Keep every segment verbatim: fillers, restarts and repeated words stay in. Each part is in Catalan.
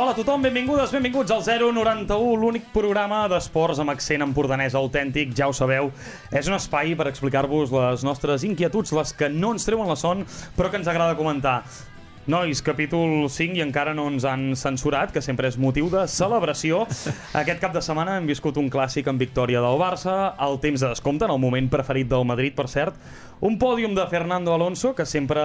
Hola a tothom, benvingudes, benvinguts al zero noranta-u, l'únic programa d'esports amb accent empordanès autèntic, ja ho sabeu. És un espai per explicar-vos les nostres inquietuds, les que no ens treuen la son, però que ens agrada comentar. Nois, capítol cinc i encara no ens han censurat, que sempre és motiu de celebració. Aquest cap de setmana hem viscut un clàssic en victòria del Barça, el temps de descompte, en el moment preferit del Madrid, per cert. Un pòdium de Fernando Alonso, que sempre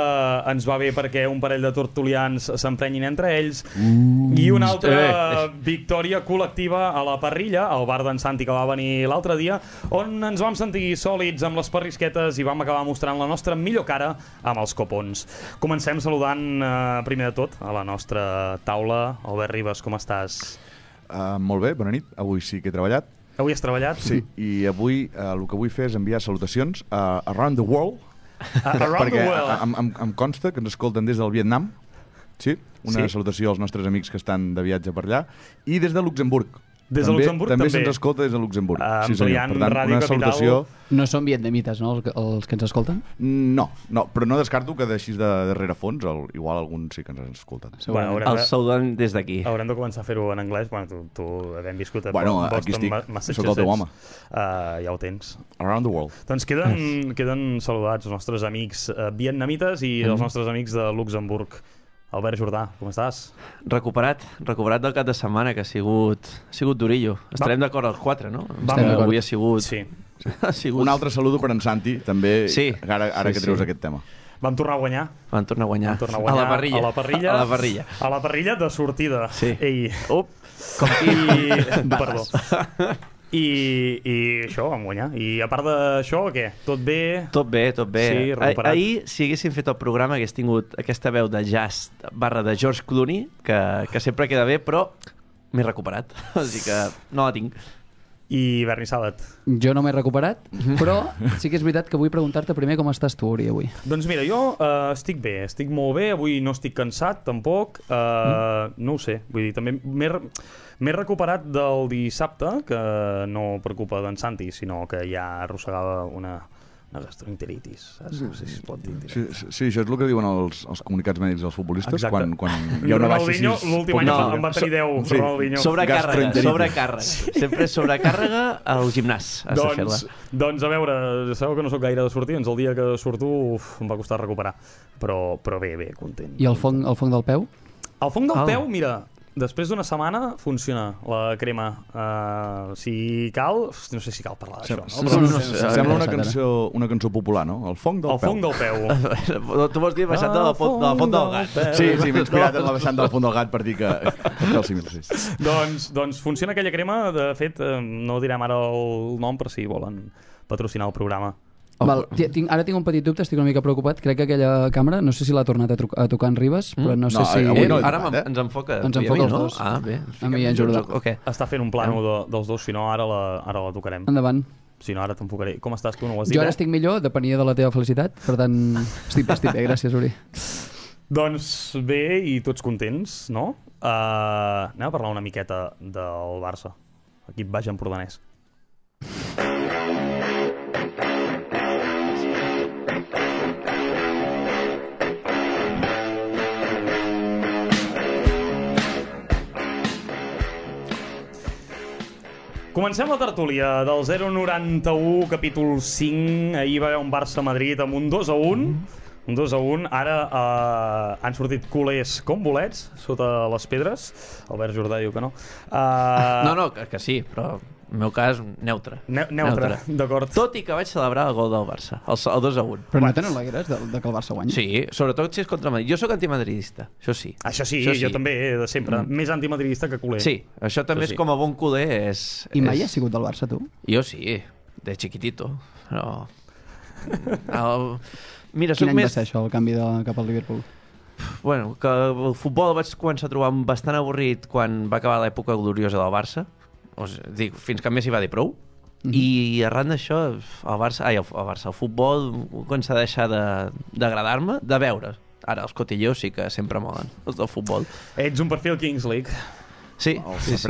ens va bé perquè un parell de tertulians s'emprenyin entre ells, mm, i una altra eh. victòria col·lectiva a la parrilla, al bar d'en Santi, que va venir l'altre dia, on ens vam sentir sòlids amb les parrisquetes i vam acabar mostrant la nostra millor cara amb els copons. Comencem saludant, eh, primer de tot, a la nostra taula. Albert Ribas, com estàs? Uh, molt bé, bona nit. Avui sí que he treballat. Avui has treballat? Sí, i avui uh, el que vull fer és enviar salutacions uh, around the world, uh, around perquè the world. em, em, em consta que ens escolten des del Vietnam, sí? Una sí? salutació als nostres amics que estan de viatge per allà, i des de Luxemburg. Des de també, Luxemburg també. també se'ns escolta des de Luxemburg. Uh, sí, senyor. Per tant, Ràdio una Capital. salutació... No són vietnamites, no, els, els que ens escolten? No, no, però no descarto que d'així de, de rerefons, el, igual alguns sí que ens han escoltat. Bueno, El de... saludem des d'aquí. Haurem de començar a fer-ho en anglès. Bueno, tu, tu havent viscut a bueno, Boston, aquí estic, Massachusetts, sóc el teu home. Uh, ja ho tens. Around the world. Doncs queden, queden saludats els nostres amics uh, vietnamites i mm. els nostres amics de Luxemburg. Albert Jordà, com estàs? Recuperat, recuperat del cap de setmana, que ha sigut, ha sigut durillo. Estarem d'acord els quatre, no? Vam Avui ha sigut... Sí. ha sigut... Un altre saludo per en Santi, també, sí. ara, ara sí, que treus sí. aquest tema. Vam tornar a guanyar. Vam tornar a guanyar. Vam tornar a guanyar. A la parrilla. A la parrilla. A la parrilla. A la parrilla de sortida. Sí. Ei. Up. Com I... Perdó. I, i això, vam guanyar. I a part d'això, què? Tot bé? Tot bé, tot bé. Sí, recuperat. Ah, ahir, si haguéssim fet el programa, hagués tingut aquesta veu de jazz barra de George Clooney, que, que sempre queda bé, però m'he recuperat. Així que no la tinc. I Berni Sàbat? Jo no m'he recuperat, però sí que és veritat que vull preguntar-te primer com estàs tu, Uri, avui. Doncs mira, jo uh, estic bé, estic molt bé, avui no estic cansat, tampoc, uh, mm. no ho sé, vull dir, també m'he... M'he recuperat del dissabte, que no per culpa d'en Santi, sinó que ja arrossegava una, una gastroenteritis, saps? No sé si es pot dir. Sí, sí, sí, això és el que diuen els, els comunicats mèdics dels futbolistes. Exacte. Quan, quan hi ha una baixa així... L'últim any no, en va tenir deu, sí. Ronaldinho. Sobrecàrrega, sobrecàrrega. Sí. Sempre sobrecàrrega al gimnàs. Has doncs, de fer-la. Doncs a veure, sabeu que no sóc gaire de sortir, doncs el dia que surto uf, em va costar recuperar. Però, però bé, bé, content. I el fong, el fong del peu? El fong del oh. peu, mira... Després d'una setmana funciona la crema. Uh, si cal... No sé si cal parlar d'això, no? Sembla, Però... no sé, sembla una, cançó, una cançó popular, no? El fong del el peu. El fong del peu. Tu vols dir baixant de la, font, de la font del gat. Sí, sí, m'he inspirat en la baixant del font del gat per dir que... que el símil, sí. doncs, doncs funciona aquella crema. De fet, no direm ara el nom per si volen patrocinar el programa. Val, tinc, ara tinc un petit dubte, estic una mica preocupat. Crec que aquella càmera, no sé si l'ha tornat a, a tocar en Ribas, mm? però no sé no, si... Avui no, eh, ara eh? ens enfoca. Ens enfoca els no? dos. Ah, bé. A mi i en Jordà. Okay. Està fent un plano de, dels dos, si no ara la, ara la tocarem. Endavant. Si no, ara t'enfocaré. Com estàs tu? No ho has dit, jo ara eh? estic millor, depenia de la teva felicitat, per tant, estic, estic bé, gràcies, Uri. Doncs bé, i tots contents, no? Uh, anem a parlar una miqueta del Barça. Equip baix empordanès. Comencem la tertúlia del zero noranta-u, capítol cinc. Ahir va haver un Barça-Madrid amb un dos a un. Un dos a un. Ara uh, han sortit culers com bolets sota les pedres. Albert Jordà diu que no. Uh, No, no, que, que sí, però en el meu cas, neutre. Ne neutre, neutre. D'acord. Tot i que vaig celebrar el gol del Barça, el, el dos a un. Però no tenen l'alegres de, de que el Barça guanyi? Sí, sobretot si és contra Madrid. Jo sóc antimadridista, això sí. Això sí, això jo també, de sempre. Mm. Més antimadridista que culer. Sí, això també això sí. És com a bon culer. És, I mai és... has sigut del Barça, tu? Jo sí, de chiquitito. Però... El... Mira, Quin any més... va ser això, el canvi de, cap al Liverpool? Bueno, que el futbol el vaig començar a trobar bastant avorrit quan va acabar l'època gloriosa del Barça. O sigui, dic, fins que Messi va dir prou. Mm -hmm. I arran d'això el Barça, ai, el, el Barça, el futbol comença a deixar d'agradar-me, de, de veure. Ara els cotilleos sí que sempre molen, els del futbol. Ets un perfil Kings League. Sí, sí, sí.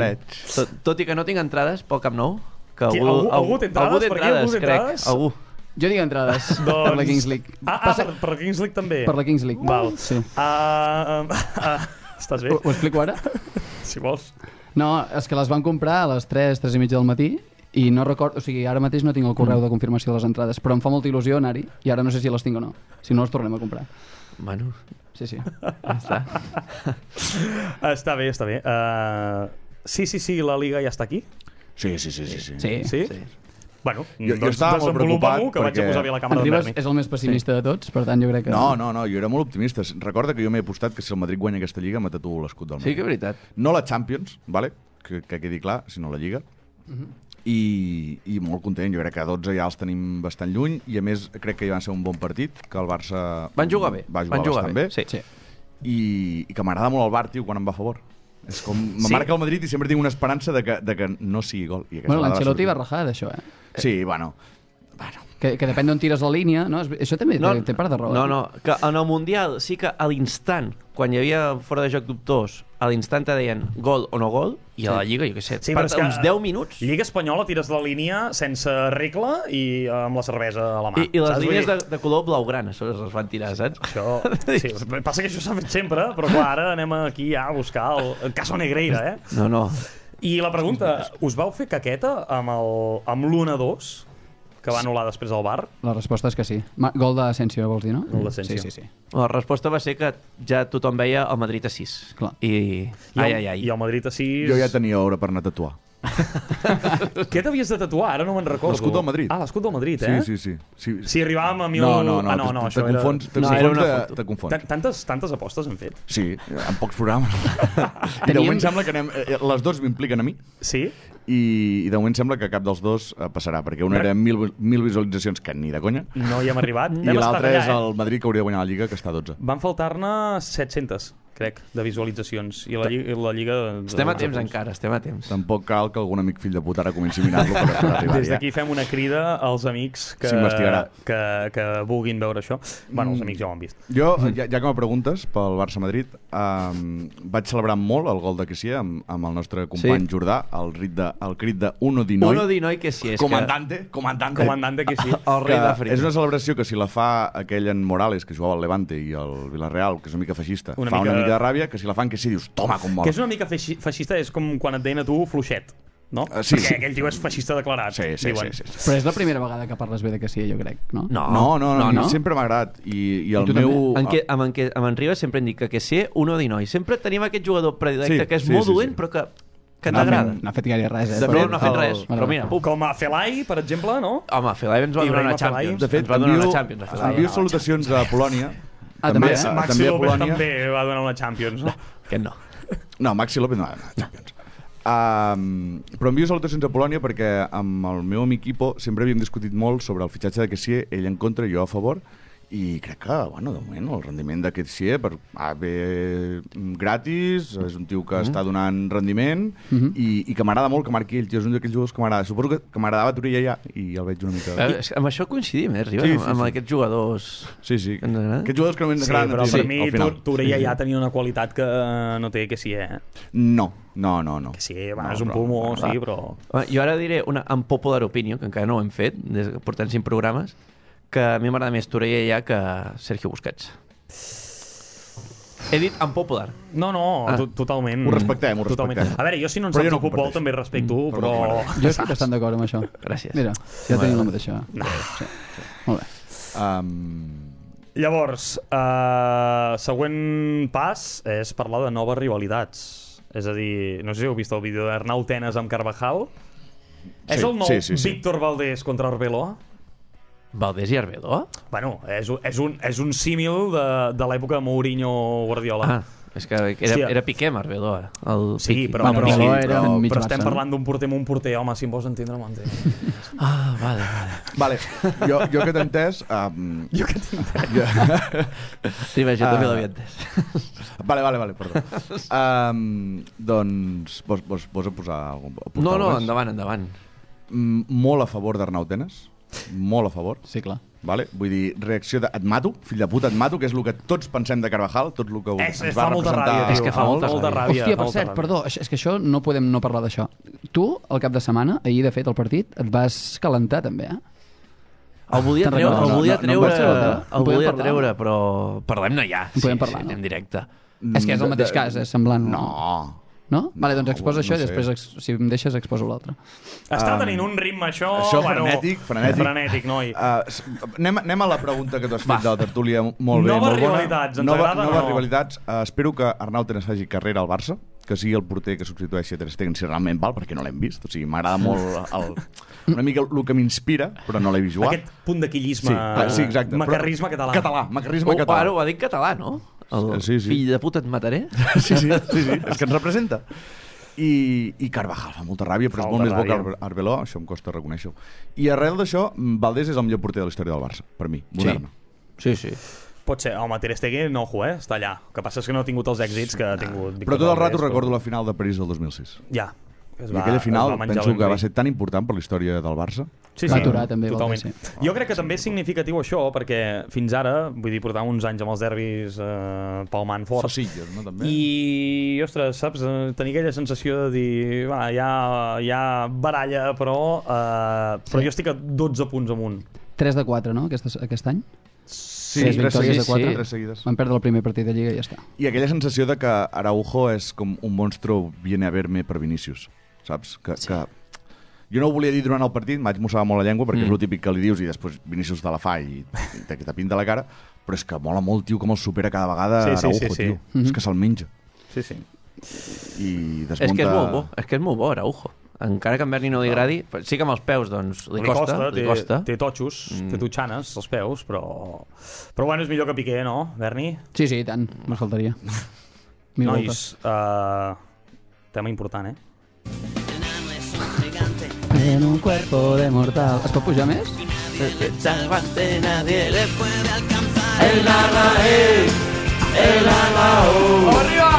Tot, tot i que no tinc entrades pel Camp Nou, que algú, algú, algú té entrades? Algú té entrades, algú té entrades? crec. Algú. Jo tinc entrades doncs... per la Kings League. Ah, ah Passa... per, per la Kings League també? Per la Kings League. Val. Sí. Uh, uh, uh, Estàs bé? Ho, ho explico ara? Si vols. No, és que les van comprar a les tres, tres i mitja del matí i no recordo, o sigui, ara mateix no tinc el correu de confirmació de les entrades, però em fa molta il·lusió anar-hi i ara no sé si les tinc o no. Si no, les tornem a comprar. Bueno, Sí, sí. ja està. Està bé, està bé. Uh, sí, sí, sí, la Liga ja està aquí. Sí, sí, sí. sí, sí. Sí. Sí? Sí. Bueno, Jo- jo doncs estava molt desenvolupa-m'ho, preocupat que vaig a perquè posar bé la càmera En d'en Ribas Berni. és el més pessimista de tots, per tant jo crec que... No, no, no, jo era molt optimista. Recorda que jo m'he apostat que si el Madrid guanya aquesta Lliga me tatuo l'escut del Madrid. Sí que és veritat. No la Champions, vale? que, que quedi clar, sinó la Lliga. I, i molt content, jo crec que a dotze ja els tenim bastant lluny i a més crec que hi va ser un bon partit, que el Barça Van jugar bé. va jugar Van jugar bastant bé, bé. Sí. Sí. I, i que m'agrada molt el Bar, tio, quan em va a favor. És com, me Sí. marca el Madrid i sempre tinc una esperança de que, de que no sigui gol. I aquesta Bueno, vegada l'Ancelotti va sortir. rajar d'això, eh? Sí, bueno, bueno. Que, que depèn d'on tires la línia, no? És- Això també No, té, té part de raó. no, eh? no, que en el Mundial sí que a l'instant, quan hi havia fora de joc dubtors, a l'instant te deien gol o no gol, i a la Lliga, jo què sé, Sí, per però és que uns deu minuts... Lliga Espanyola tires la línia sense regla i amb la cervesa a la mà. I, i les saps? línies Vull de, dir, de color blaugrana es les van tirar, saps? Això, sí, passa que això s'ha fet sempre, però clar, ara anem aquí ja a buscar el, el caso Negreira, eh? No, no. I la pregunta, us vau fer caqueta amb el- amb l'u a dos, que va anul·lar després al bar? La resposta és que sí. Ma Gol d'Asensio, vols dir, no? Gol d'Asensio. Sí, sí, sí. La resposta va ser que ja tothom veia el Madrid a sis. Clar. I... I Ai, el, ai, ai. I el Madrid a sis... Jo ja tenia hora per anar a tatuar. Què t'havies de tatuar? Ara no me'n recordo. L'escut del Madrid. Ah, l'escut del Madrid, eh? Sí, sí, sí. sí. Si arribàvem a mil... No, no, no, ah, no, no te, això te era... confons, te No, confons, era una de- foto. te confons. Tan- Tantes, tantes apostes hem fet? Sí, en pocs programes. I de Teníem- moment sembla que anem... eh, Les dos m'impliquen a mi Sí? i, i de moment sembla que cap dels dos eh, passarà, perquè una era mil, mil visualitzacions, que ni de conya, No hi hem arribat. i Hem estat l'altre allà, és eh? el Madrid, que hauria de guanyar la Lliga, que està a dotze. Van faltar-ne set-centes, crec, de visualitzacions. I la Lliga... I la Lliga de Estem a dotze temps punts. encara, estem a temps. Tampoc cal que algun amic fill de puta ara comenci a mirar-lo per, per arribar Des ja. d'aquí fem una crida als amics que, S'investigarà. que, que vulguin veure això. Bueno, els amics ja ho han vist. Jo, ja, ja que me preguntes pel Barça-Madrid, um, vaig celebrar molt el gol de Kessie amb, amb el nostre company Sí. Jordà, el, rit de, el crit de Uno di Noi, Uno di noi que sí, és comandante, comandante, Comandante que sí. que... El que rei d'Àfrica. és una celebració que si la fa aquell en Morales, que jugava al Levante, i el Villarreal, que és una mica feixista, Una fa mica- una mica de ràbia, que si la fan que sí, dius, toma, com mola. Que és una mica feixi feixista, és com quan et deien a tu fluixet, no? Uh, sí, Perquè sí. aquell tio és feixista declarat, Sí, sí, diuen. sí, sí, sí. Però és la primera vegada que parles bé de que sí, jo crec, no? No, No, no, no, no, no, no. sempre m'ha agradat. I, i el tu meu... En què, amb, en què, amb en Ribas sempre em dic que que sé uno di noi. Sempre tenim aquest jugador predilecte Sí, que és sí, molt sí, dolent, sí. però que, que No ha fet- t'agrada. No ha fet gaire res, eh? De No, fet, no ha fet el- res, però mira, puc. Com a Felai, per exemple, no? Home, Felai ens va donar Ibrahima una Felai. Champions. De fet, ens va donar envio, una Champions. a Felai. envio salutacions a Polònia. Ah, també, eh? a- Maxi també a López Polònia. també va donar una Champions, no? Aquest no. No, Maxi López no, no, Champions. Um, però envio salutacions a Polònia perquè amb el meu amic Ipo sempre havíem discutit molt sobre el fitxatge de Kessie, ell en contra i jo a favor, i crec que, bueno, de moment el rendiment de Kessie per, ah, ve gratis, és un tio que Mhm. està donant rendiment i, i que m'agrada molt que marqui ell, tio, és un d'aquells jugadors que m'agrada. Suposo que, que m'agradava Turilla ja i el veig una mica... Eh, és que amb això coincidim, eh, Ribas? Sí, amb, sí, amb sí. aquests jugadors... Sí, sí. Que ens agrada. Aquests jugadors que no Sí, m'agraden però a ti, per al mi final. Torella ja tenia una qualitat que no té que sí, eh? No, no, no, no. Que sí, va, No, és un però- pulmó, clar. sí, però... Home, Jo ara diré una unpopular opinion, que encara no ho hem fet, des que portem cinc programes, que a mi m'agrada més Torella ja que Sergio Busquets. He dit unpopular. No, no, Ah. to- totalment. Ho respectem, ho Totalment. respectem. A veure, jo si no en Però saps jo no de futbol comparteixo. també respecto, Mm, però... però Jo estic bastant d'acord amb això. Gràcies. Mira, ja tenim la mateixa. No. Sí, sí. Molt bé. Um, Llavors, uh, següent pas és parlar de noves rivalitats. És a dir, no sé si heu vist el vídeo d'Arnau Tenas amb Carvajal. És Sí, el nou sí, sí, sí. Víctor Valdés contra Arbeloa? Valdés i Arbeloa? Bueno, és, un- és, un, és un símil de, de l'època de Mourinho-Guardiola. Ah, és que era, Hòstia. era Piqué amb Arbeloa. El Sí, Piqui. però, Bueno, però, Arbeloa però, era però, mig però estem Barça, no? parlant d'un porter amb un porter, home, si em vols entendre, m'entens. Ah, vale, vale. Vale, jo, jo que t'he entès... Um, Jo que tinc... Sí, vaja, jo Ah. també l'havia entès. vale, vale, vale, perdó. Um, doncs, vols, vols, vols posar algun... aportar No, no, alguna cosa? endavant, endavant. Mm, molt a favor d'Arnau Tenas. Molt a favor. Sí, clar. Vale? Vull dir, reacció de et mato, fill de puta, et mato, que és el que tots pensem de Carvajal, tot el que És, ens és, va fa molta representar... ràbia, tio. És que fa molta molta ràbia. ràbia. Hòstia, per molta cert, ràbia. perdó, això- és que això no podem no parlar d'això. Tu, al cap de setmana, ahir de fet, el partit, et vas calentar també, eh? El volia Te'n treure, recordes? el volia No, no, no em treure, pots treure? el En podem volia parlar? treure, però parlem-ne ja. En podem sí, parlar, sí, no? en directe. És que és el mateix cas, és semblant. No. No? Vale, doncs exposa no això i sé. després, ex- si em deixes, exposo l'altre. Està Um, tenint un ritme, això... Això bueno, frenètic, frenètic. Frenètic, noi. Uh, s- anem, anem a la pregunta que tu has fet de la tertúlia molt bé, Noves molt bona. rivalitats, ens Nova, agrada o Noves no? rivalitats. Uh, espero que Arnau Tenes faci carrera al Barça, que sigui el porter que substitueixi a Ter Stegen si realment val, perquè no l'hem vist. O sigui, m'agrada molt el, una mica el que m'inspira, però no l'he vist jugar. Aquest punt de quillisme, Sí, ah, sí, exacte. macarrisme Però- català. Català, macarrisme Oh, català. ara ho ha dit català, no? El Sí, sí. fill de puta et mataré. Sí, sí, sí, sí, és que ens representa. I, i Carvajal fa molta ràbia, però Fa és molt més molta bo que ràbia. Ar- Arbeloa, això em costa reconèixer-ho. I arrel d'això, Valdés és el millor porter de la història del Barça, per mi, moderna. Sí, sí. Pot ser, home, Ter Stegen, ojo, eh? Està allà. El que passa és que no ha tingut els èxits que ha tingut... Però tot el rato recordo la final de París del dos mil sis. Ja. Es I aquella final es va menjar penso que ben va bé. ser tan important per la història del Barça. Sí, Va sí, aturar, també, totalment. vol dir, Jo crec que també és significatiu això, perquè fins ara, vull dir, portàvem uns anys amb els derbis eh, palmant forts. Sosilles, no, també? I, ostres, saps, eh, tenir aquella sensació de dir, va, hi ha, hi ha baralla, però, eh, però Sí. jo estic a dotze punts amunt. tres de quatre, no, aquest, aquest any? Sí, tres tres victòries seguides, de quatre. tres seguides. Van perdre el primer partit de Lliga i ja està. I aquella sensació de que Araujo és com un monstro viene a ver-me per Vinícius, saps? Que, sí. que... Jo no ho volia dir durant el partit, m'haig mossegat molt la llengua perquè mm. és el típic que li dius i després Vinícius te la fa i, i te, te pinta la cara, però és que mola molt, tio, com el supera cada vegada Sí, sí, Araujo, sí, sí. tio. Mhm. És que se'l menja. Sí, sí. I desmunta... És que és molt bo, és que és molt bo, Araujo. Encara que a en Berni no li agradi, sí que amb els peus, doncs, li, costa, li té, costa. té totxos, mm. té totxanes als peus, però... Però bueno, és millor que Piqué, no, Berni? Sí, sí, i tant, no faltaria. Mil Nois, uh, tema important, eh? En un cuerpo de mortal. Es pot pujar més? Nadie le puede alcanzar. El Arraez, el Arrao. ¡Arriba!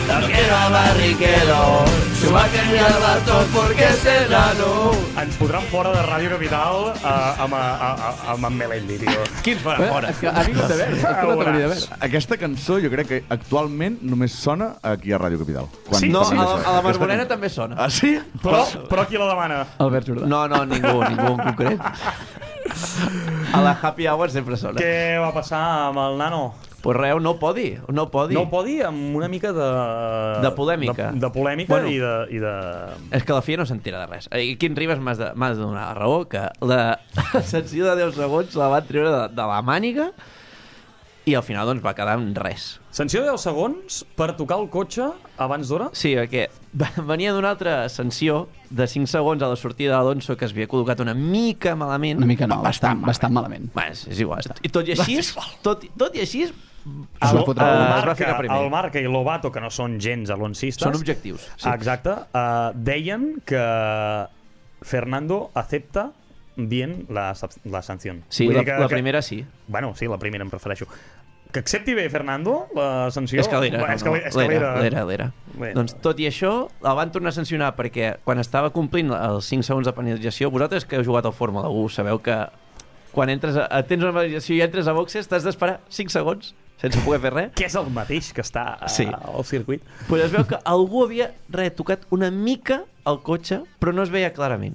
No quiero a Barrichello, Schumacher ni al Bartos porque es enano. Ens podran fora de Ràdio Capital uh, amb, a, a, a, amb en Melendi, tio. Qui ens farà Eh, fora? és que ha vingut de veure, és que no t'hauria de veure. Aquesta cançó jo crec que actualment només sona aquí a Ràdio Capital. Quan Sí? No, passi a la, això. a la Aquesta Marmolena can- també sona. Ah, sí? Però, però qui la demana? Albert Jordà. No, no, ningú, ningú en concret. A la Happy Hour sempre sona. Què va passar amb el nano? Pues res, no podi, no podi. No ho pot dir amb una mica de... De polèmica. De, de polèmica Bueno. i, de, i de... És que la F I A no s'entera de res. I Quim Ribas m'has de, m'has de donar la raó que la sanció de deu segons la van treure de, de la màniga i al final doncs va quedar en res. Sanció de deu segons per tocar el cotxe abans d'hora? Sí, perquè venia d'una altra sanció de cinc segons a la sortida d'Alonso que es havia col·locat una mica malament. Una mica no, bastant, bastant malament. Bé, és, és igual. I tot i així, tot, tot i així Es El, va fotre el, una- es va Marca, ficar primer. el Marca i l'Obato, que no són gens alonsistes... són objectius. Sí. Exacte. Uh, deien que Fernando acepta bien la, la sanción. Sí, Vull la, dir que, la que- primera sí. Bueno, sí, la primera em prefereixo. Que accepti bé Fernando la sanció... És que l'era, Bueno, no, és que no, l'era, és que l'era, l'era. l'era, l'era. Bé. Doncs tot i això, el van tornar a sancionar perquè quan estava complint els cinc segons de penalització, vosaltres que heu jugat al Fórmula u sabeu que quan entres a, tens una penalització i entres a boxes t'has d'esperar cinc segons sense poder fer res. Que és el mateix que està a, Sí. al circuit. Pues es veu que algú havia retocat una mica el cotxe, però no es veia clarament.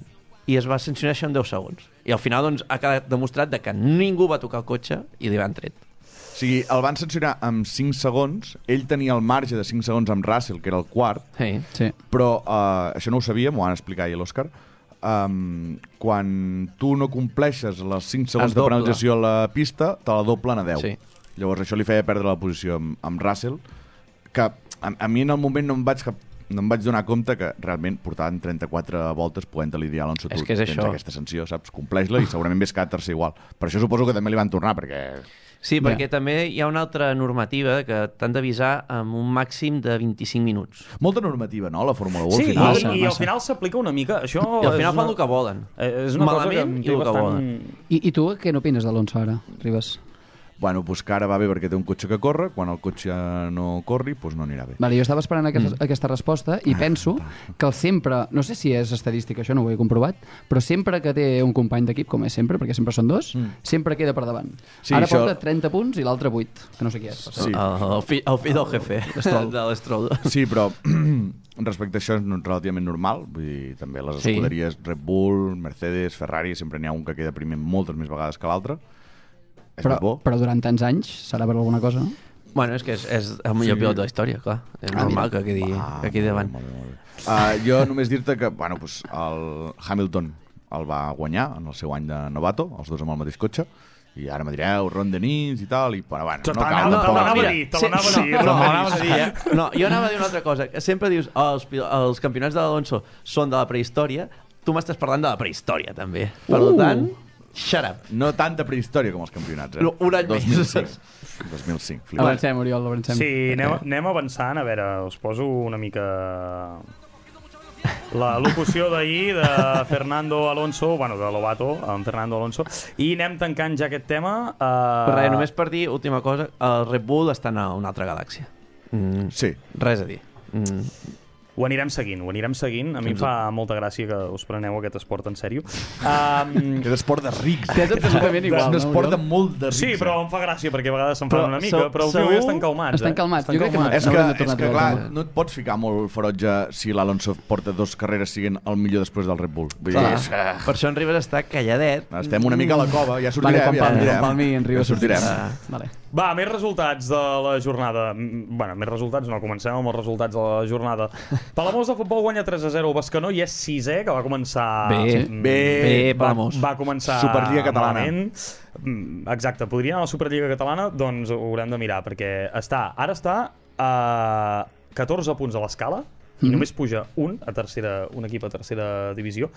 I es va sancionar això en deu segons. I al final doncs, ha quedat demostrat de que ningú va tocar el cotxe i li van tret. O sigui, el van sancionar amb cinc segons, ell tenia el marge de cinc segons amb Russell, que era el quart, Sí. Sí. però uh, això no ho sabia, m'ho van explicar ahir l'Òscar, um, quan tu no compleixes les cinc segons Es de dobla. penalització a la pista, te la doblen a deu. Sí. Llavors això li feia perdre la posició amb, amb Russell, que a, a mi en el moment no em vaig cap no em vaig donar compte que realment portaven trenta-quatre voltes podent-li dir a Alonso, És tu que és tens això. aquesta sanció, saps? Compleix-la i segurament ves quedar tercer igual. Per això suposo que també li van tornar, perquè... Sí, Ja. perquè també hi ha una altra normativa que t'han d'avisar amb un màxim de vint-i-cinc minuts. Molta normativa, no?, la Fórmula u Sí, al i, final. Massa, i al massa. final s'aplica una mica... Això I al final és fan una, el que volen. eh, És una Malament cosa que em i té el que bastant... volen. I, I tu què n'opines d'Alonso ara, Ribas? Bueno, pues que ara va bé perquè té un cotxe que corre, quan el cotxe no corri, pues no anirà bé. Vale, jo estava esperant aquesta, mm. aquesta resposta i penso que el sempre, no sé si és estadística, això no ho he comprovat, però sempre que té un company d'equip, com és sempre, perquè sempre són dos, mm. sempre queda per davant. Sí, Ara això- porta trenta punts i l'altre vuit, que no sé qui és. Per Sí. cert. El, el, fill, el fill del jefe, L'Stroll. de l'Stroll. Sí, però respecte a això és relativament normal. Vull dir, també les Sí. escuderies Red Bull, Mercedes, Ferrari, sempre n'hi ha un que queda primer moltes més vegades que l'altre. És Però, més bo. però durant tants anys serà per alguna cosa, no? Bueno, és que és, és el millor Sí. pilot de la història, clar. És Ah, normal mira. que quedi, Ah, que quedi davant. molt bé, molt bé. Uh, jo només dir-te que bueno, pues, el Hamilton el va guanyar en el seu any de novato, els dos amb el mateix cotxe, i ara me direu Ron Dennis i tal, i bueno, bueno Te no l'anava cal te tampoc. l'anava a mira, dir, te sí, l'anava a no, dir. no, Ron m'anaves a Dennis. dir, eh? No, jo anava a dir una altra cosa. Que sempre dius, oh, els, pil- els campionats de l'Alonso són de la prehistòria. Tu m'estàs parlant de la prehistòria, també. Per Uh. tant, shut up. No tanta prehistòria com els campionats, eh? No, un any dos més. mil cinc. dos mil cinc, flipat. Avancem, Oriol, avancem. Sí, anem, anem avançant. A veure, us poso una mica... La locució d'ahir de Fernando Alonso, bueno, de Lobato, en Fernando Alonso, i anem tancant ja aquest tema. Uh... Però res, només per dir, última cosa, el Red Bull està en una altra galàxia. Mm, Sí. res a dir. Mm. Ho anirem seguint, ho anirem seguint. A mi em fa molta gràcia que us preneu aquest esport en sèrio. Um, Que és esport de rics. Que és absolutament igual, És un no, esport de Oriol? molt de rics. sí, però em fa gràcia perquè a vegades se'n Però fan una mica, se- però últimament segur- estan calmats. Estan eh? calmats. Jo crec que calmats. És que, Haurem de és tornar que a clar, treure el tema. no et pots ficar molt ferotge si l'Alonso porta dos carreres siguent el millor després del Red Bull. Vull dir, Clar. és que Per això en Ribas està calladet. estem una mica a la cova, ja Vale, sortirem, quan ja Palmi, sortirem. quan Palmi en Ribas Ja sortirem. sortirà. Vale. Va, més resultats de la jornada. Mm, Bueno, més resultats no, comencem amb els resultats de la jornada. Palamós de futbol guanya tres a zero el Bescanó i és sisè, que va començar... Bé, mm, bé, va, Palamós. va començar Superliga catalana. malament. Mm, Exacte, podria anar a la Superliga catalana? Doncs ho haurem de mirar, perquè està, ara està a catorze punts a l'escala i Mhm. només puja un a tercera, un equip a tercera divisió.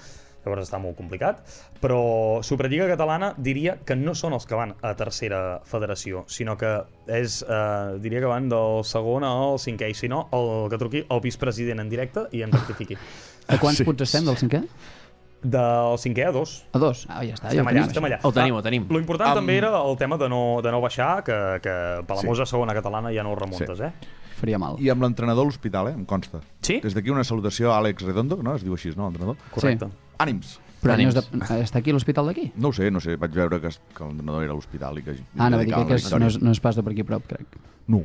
Llavors està molt complicat, però Superliga Catalana diria que no són els que van a tercera federació, sinó que és, eh, diria que van del segon al cinquè, i si no, el que truqui el vicepresident en directe i en rectifiqui. A quants Sí. punts estem del cinquè? Del cinquè a dos. A dos. Ah, ja està. Ja Estem ho allà, tenim, estem això. allà. Ho tenim, Ah, ho tenim. Lo important Am- també era el tema de no, de no baixar, que, que Palamós Sí. a segona catalana ja no ho remuntes, Sí. eh? Faria mal. I amb l'entrenador a l'hospital, eh? Em consta. Sí? Des d'aquí una salutació a Àlex Redondo, no? Es diu així, no, l'entrenador? Correcte. Sí. Ànims. Però no és Ànims. de... està aquí a l'hospital d'aquí? No ho sé, no sé, vaig veure que, es- que l'entrenador era a l'hospital i que... Ah, anava a dir dedicava que la és, victòria. no, és, no és pas de per aquí a prop, crec. No.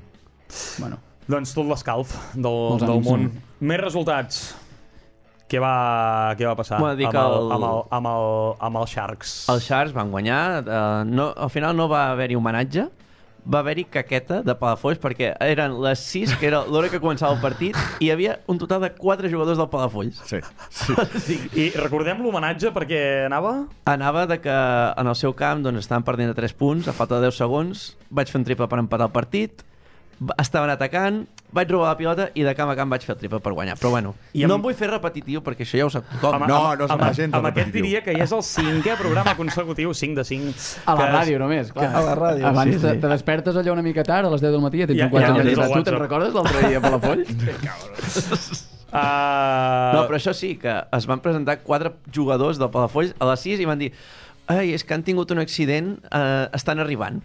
Bueno. Doncs tot l'escalf del, Molts del ànims, món. no? Més resultats. Què va, què va passar Bueno, dic amb, el, el- amb, el, amb, el, amb els Sharks? Els Sharks van guanyar. Eh, no, al final no va haver-hi homenatge. Va haver-hi caqueta de Palafolls perquè eren les sis, que era l'hora que començava el partit, i hi havia un total de quatre jugadors del Palafolls. Sí, sí. I recordem l'homenatge perquè anava... Anava de que en el seu camp doncs, estaven perdent de tres punts, a falta de deu segons, vaig fer un triple per empatar el partit, va- estaven atacant, vaig robar la pilota i de camp a camp vaig fer el triple per guanyar. Però bueno, I I amb- no em vull fer repetitiu perquè això ja ho sap tothom. Amb, No, amb, no se'n amb, va gens, amb el aquest repetitiu. diria que ja és el cinquè programa consecutiu, cinc de cinc. A la que ràdio només, clar. a la ràdio, Abans sí, te, sí. te despertes allò una mica tard, a les deu del matí, ja tens Ja- un quart ja de tens matí. el Tu te'n WhatsApp. recordes l'altre dia a Palafolls? Uh, No, però això sí, que es van presentar quatre jugadors del Palafolls a les sis i van dir ai, és que han tingut un accident, eh, estan arribant.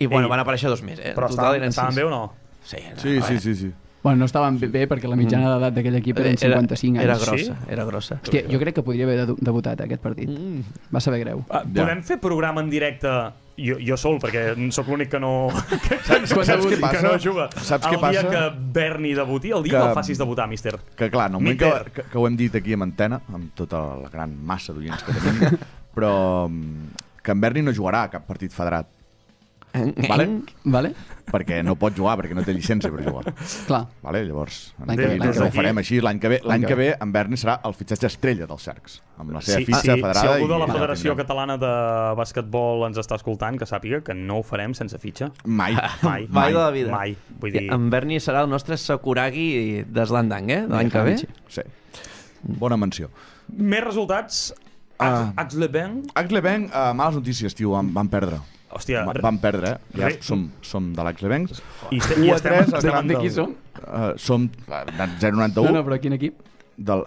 I bueno, Ei, van aparèixer dos més, eh? Però En total estaven, eren estaven sis. bé o no? Sí, Sí, sí, sí, sí. Bueno, no estaven bé, bé perquè la mitjana d'edat d'aquell equip eren cinquanta-cinc era, era anys. grossa, Sí? era grossa. Hòstia, jo crec que podria haver debu- debutat eh, aquest partit. Mm. Va saber greu. Uh, podem fer programa en directe jo, jo sol, perquè sóc l'únic que no que, Saps, saps què que passa? no juga. Saps el què passa? dia que Berni debuti, el dia Que- que el facis debutar, míster. Que clar, en el moment que, Mister. que, que ho hem dit aquí amb antena, amb tota la gran massa d'oients que tenim, però mm, que en Berni no jugarà a cap partit federat. Vale? Vale? Perquè no pot jugar, perquè no té llicència per jugar. Clar. Vale? Llavors, en L'any aquí que ve, no, l'any que no ve. ho farem així. L'any que ve, l'any L'any que que ve en Berni serà el fitxatge estrella dels Sharks, amb la seva Sí, fitxa sí, federada. si algú de la i- Federació tindrem. Catalana de Basquetbol ens està escoltant, que sàpiga que no ho farem sense fitxa. Mai. Mai. Mai de la vida. Mai. Vull dir... En Berni serà el nostre Sakuragi d'Eslandang, eh? De l'any que ve. Sí. Bona menció. Més resultats. Ah. Axleben. Axlebank, uh, males notícies, tio, van, van perdre. Hòstia, Va- Van perdre, eh? Ja Re- som, som de l'Axlebank. i, este, u i a estem, tres, estem davant de del- qui som? Uh, som uh, zero noranta u. No, no, però quin equip? Del...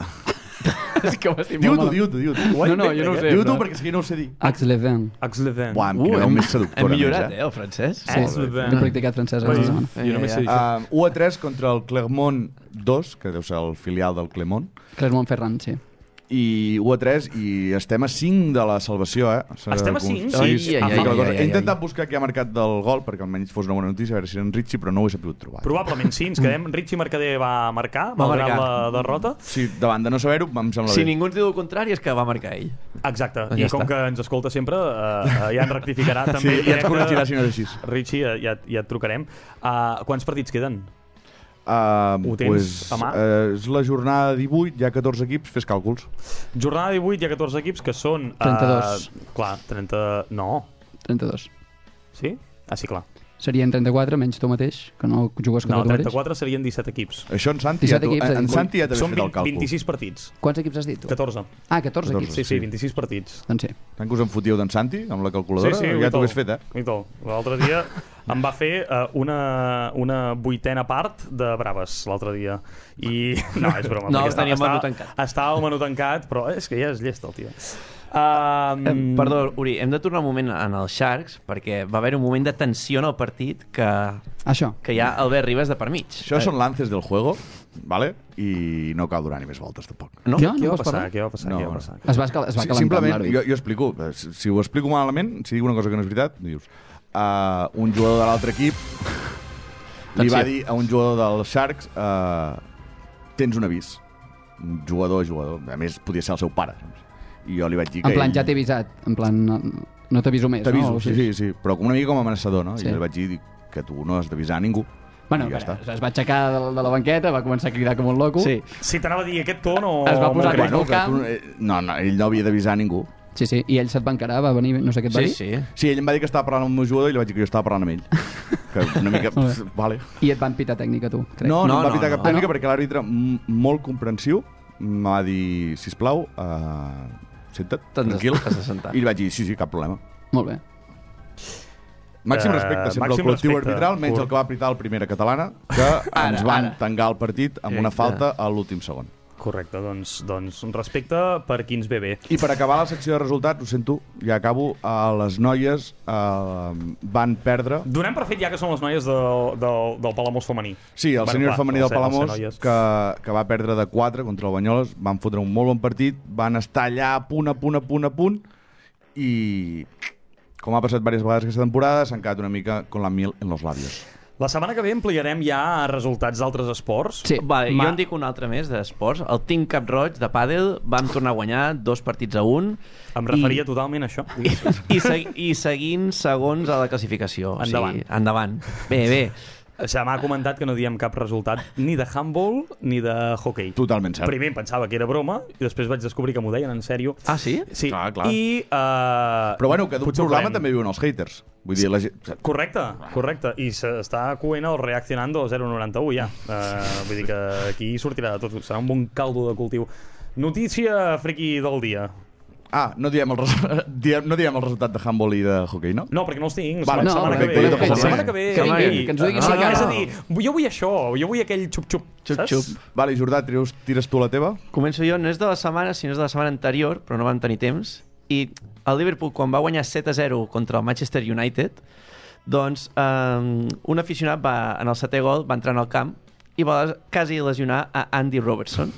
És que ho estic Diu-t'ho, molt malament. diu-t'ho, diu-t'ho. No, no, jo no ho sé. Diu-t'ho però- perquè és que jo no ho sé dir. Axe-les-Bains. Axleben. Buah, em Uh, crideu hem, més seductora. hem millorat, més, eh, el francès? Sí. He practicat francès aquesta Ui, setmana. jo només sé Ai, ai, això. Uh, u a tres contra el Clermont dos, que deu ser el filial del Clermont, Clermont Ferrand, sí. i u a tres, i estem a cinc de la salvació, eh? S'ha Estem a de- cinc? Sí, Ai, sí. ai, Ah, ai, la ai, cosa. ai, He ai. intentat buscar qui ha marcat del gol, perquè almenys fos una bona notícia, a veure si era en Richie, però no ho he sabut trobar. Probablement sí, ens quedem. Richie Mercader va marcar, Va malgrat marcar. la derrota. Sí, davant de no saber-ho, em sembla Si bé. ningú ens diu el contrari és que va marcar ell. Exacte, Ja i està. com que ens escolta sempre, uh, ja ens rectificarà també. Sí, ja crec ens corregirà que- si no és així. Richie, ja, ja, ja et trucarem. Uh, quants partits queden? Uh, Ho tens pues, a mà? Uh, és la jornada divuit, hi ha catorze equips, fes càlculs. Jornada divuit, hi ha catorze equips que són... Uh, trenta-dos. Clar, trenta... No. trenta-dos. Sí? Ah, sí, clar. Serien trenta-quatre, menys tu mateix, que no jugues No, contra tu mateix. trenta-quatre serien disset equips. Això en Santi, ja disset t'ho- equips, en, en eh? Santi ja t'havia Són fet el vint, càlcul. vint-i-sis partits. Quants equips has dit tu? catorze. Ah, catorze catorze. equips. Sí, sí, Sí. vint-i-sis partits. Doncs sí. Tant que us en fotíeu d'en Santi, amb la calculadora, Sí, sí, ja t'ho hagués fet, eh? I tot. L'altre dia em va fer uh, una, una vuitena part de braves, l'altre dia. I... No, és broma. No, perquè tenia el menú estava, tancat. estava el menú tancat, però és que ja és llest, el tio. Um, Eh, Perdó, Uri, hem de tornar un moment en els Sharks, perquè va haver un moment de tensió en el partit que, Això. que hi ha Albert Ribas de per mig. Això són lances del juego, ¿vale? I no cal donar ni més voltes, tampoc. No? Jo? Què No va vols passar? parlar? Què va passar? No, Què va no. passar? Es va, escal- es va Sí, calentar amb simplement, l'àrbit. jo, jo explico. Si, si ho explico malament, si dic una cosa que no és veritat, dius... Uh, un jugador de l'altre equip li va dir a un jugador dels Sharks uh, tens un avís. Un jugador a jugador. A més, podia ser el seu pare. Saps? I jo li vaig dir que En plan, ell... ja t'he avisat. En plan, no, no t'aviso més, T'aviso, no? O sí, sigui- sí, sí. Però com una mica com a amenaçador, no? Sí. I jo li vaig dir que tu no has d'avisar a ningú. Bueno, I ja ja està. es va aixecar de, de la banqueta, va començar a cridar com un loco. Sí. Si t'anava a dir aquest to, no... Es va posar molt bueno, greu. que camp. tu, eh, no, no, ell no havia d'avisar a ningú. Sí, sí, i ell se't va encarar, va venir, no sé què et va Sí, dir, sí. Sí, ell em va dir que estava parlant amb el meu jugador i li vaig dir que jo estava parlant amb ell. Que una mica... Molt bé. pff, vale. i et van pitar tècnica, tu, crec. No, no, No, em va no, pitar no. cap tècnica Ah, no? perquè l'àrbitre, m- molt comprensiu, em va dir, sisplau, uh, senta't, T'has de- tranquil. t'has de sentar. I li vaig dir, sí, sí, cap problema. Molt bé. Màxim Eh, respecte sempre màxim al col·lectiu respecte. arbitral, menys Pur. el que va apritar el primera catalana, que Ara, ens van ara. tangar el partit amb una Exacte. falta a l'últim segon. Correcte, doncs, doncs un respecte per qui ens ve bé. I per acabar la secció de resultats, ho sento, ja acabo, uh, les noies uh, van perdre... Donem per fet ja que són les noies del, del, del Palamós femení. Sí, el Bueno, sènior clar, femení el del ser- el ser Palamós, noies. que, que va perdre de quatre contra el Banyoles, van fotre un molt bon partit, van estar allà a punt, a punt, a punt, a punt, i com ha passat diverses vegades aquesta temporada, s'han quedat una mica con la mil en los labios. La setmana que ve ampliarem ja resultats d'altres esports. Sí. Vale, Ma- jo en dic un altre més d'esports. El Team Cap Roig de pàdel vam tornar a guanyar dos partits a un. Em referia I... totalment a això. I, i, segui, i seguint segons a la classificació. Endavant. O sigui, endavant. Bé, bé. Se m'ha comentat que no diem cap resultat ni de handball ni de hockey. Totalment cert. Primer em pensava que era broma i després vaig descobrir que m'ho deien en sèrio. Ah, sí? Sí, Clar, clar. i... Uh, Però bueno, que d'un potser ho programa farem. també viuen els haters. Vull dir, la gent... Correcte, correcte. I s'està coent el Reaccionando zero noranta u ja. Uh, vull dir que aquí sortirà de tot. Serà un bon caldo de cultiu. Notícia friqui del dia. Ah, no diem, el res... diem, no diem el resultat de handball i de hockey, no? No, perquè no els tinc. Vale, la no, setmana que perfecte, ve. jo tampoc La sé. setmana que ve. Que vinguin, Ei, que ens ho diguin no, així no, cara. és a dir, jo vull això, jo vull aquell xup-xup. Xup, saps? xup. Vale, Jordà, tires, tires tu la teva? Començo jo, no és de la setmana, sinó és de la setmana anterior, però no vam tenir temps. I el Liverpool, quan va guanyar set a zero contra el Manchester United, doncs um, un aficionat va, en el setè gol va entrar en el camp i va quasi lesionar a Andy Robertson.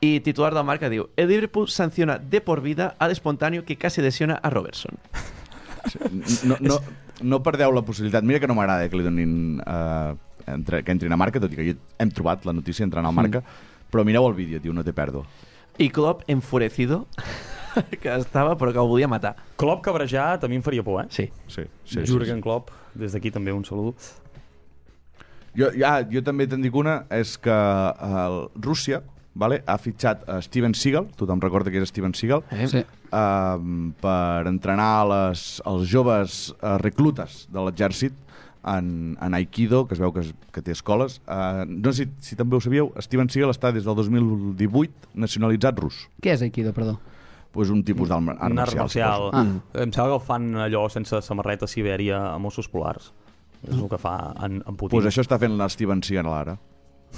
Y titular del marca diu: el Liverpool sanciona de por vida al espontáneo que casi lesiona a Robertson. No, no, no perdeu la possibilitat. Mira que no m'agrada que li donin uh, entre, que entrin a marca, tot i que jo hem trobat la notícia entrant al marca, mm. però mireu el vídeo, tio, no té pèrdua. I Klopp enfurecido que estava però que el volia matar. Klopp cabrejat a mi em faria por, eh? Sí. Sí, sí, Jürgen Klopp, des d'aquí també un saludo. Jo, ja, jo també te'n dic una, és que uh, Rússia, vale, ha fitxat a Steven Seagal, tothom recorda que és Steven Seagal, Eh? Sí. uh, per entrenar les, els joves uh, reclutes de l'exèrcit en, en Aikido, que es veu que, es, que té escoles. Uh, no sé si, si també ho sabíeu, Steven Seagal està des del dos mil divuit nacionalitzat rus. Què és Aikido, perdó? Pues un tipus d'art marcial. Un art marcial. Ah. Em sembla que el fan allò sense samarreta a Sibèria a Mossos Polars. És el que fa en, en Putin. Pues això està fent la Steven Seagal ara.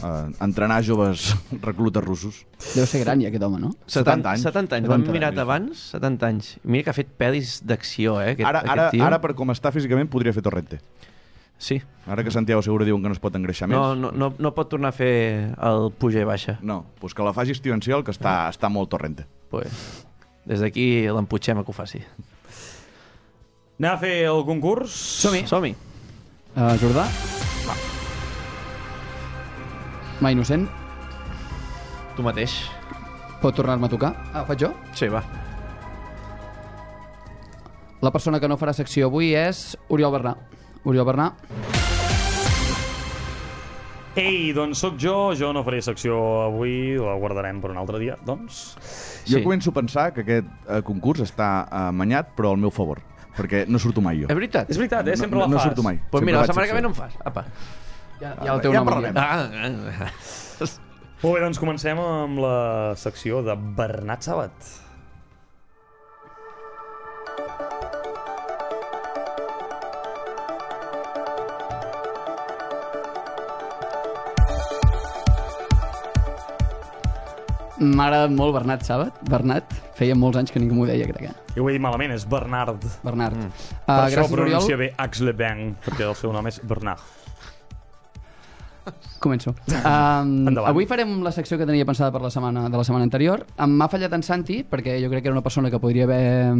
Uh, entrenar joves reclutes russos. Deu ser gran ja aquest home, no? setanta anys. setanta anys. Ho hem setanta mirat anys. abans, setanta anys. Mira que ha fet pel·lis d'acció, eh? Aquest, Ara, ara, aquest tio. ara, per com està físicament, podria fer Torrente. Sí. Ara que Santiago Segura diuen que no es pot engreixar No, més. no, no, no pot tornar a fer el puja i baixa. No, pues que la faci Steven Seagal, que està, està molt Torrente. Pues, des d'aquí l'emputxem a que ho faci. Anem a fer el concurs? Som-hi. Som-hi. Uh, Jordà? Ma innocent? Tu mateix. Pot tornar-me a tocar? Ah, ho faig jo? Sí, va. La persona que no farà secció avui és Oriol Bernà. Oriol Bernà. Ei, doncs sóc jo, jo no faré secció avui, la guardarem per un altre dia, doncs. Jo Sí. començo a pensar que aquest eh, concurs està amanyat, però al meu favor, perquè no surto mai jo. És veritat? És veritat, eh? Sempre no, la no fas. surto mai. Pues Sempre mira, la faig setmana que ve secció. no en fas. Apa. Ja, ja el teu Ja nom. parlarem. Ah, ah. Molt bé, doncs comencem amb la secció de Bernat Sabat. M'ha agradat molt Bernat Sabat. Bernat, feia molts anys que ningú m'ho deia, crec. Eh? Jo ho he dit malament, és Bernard. Bernard. Mm. Per Uh, això gràcies, pronuncia Oriol. bé Aix-les-Bains, perquè el seu nom és Bernard. Començo. Um, Endavant. avui farem la secció que tenia pensada per la setmana de la setmana anterior. Em m'ha fallat en Santi, perquè jo crec que era una persona que podria haver,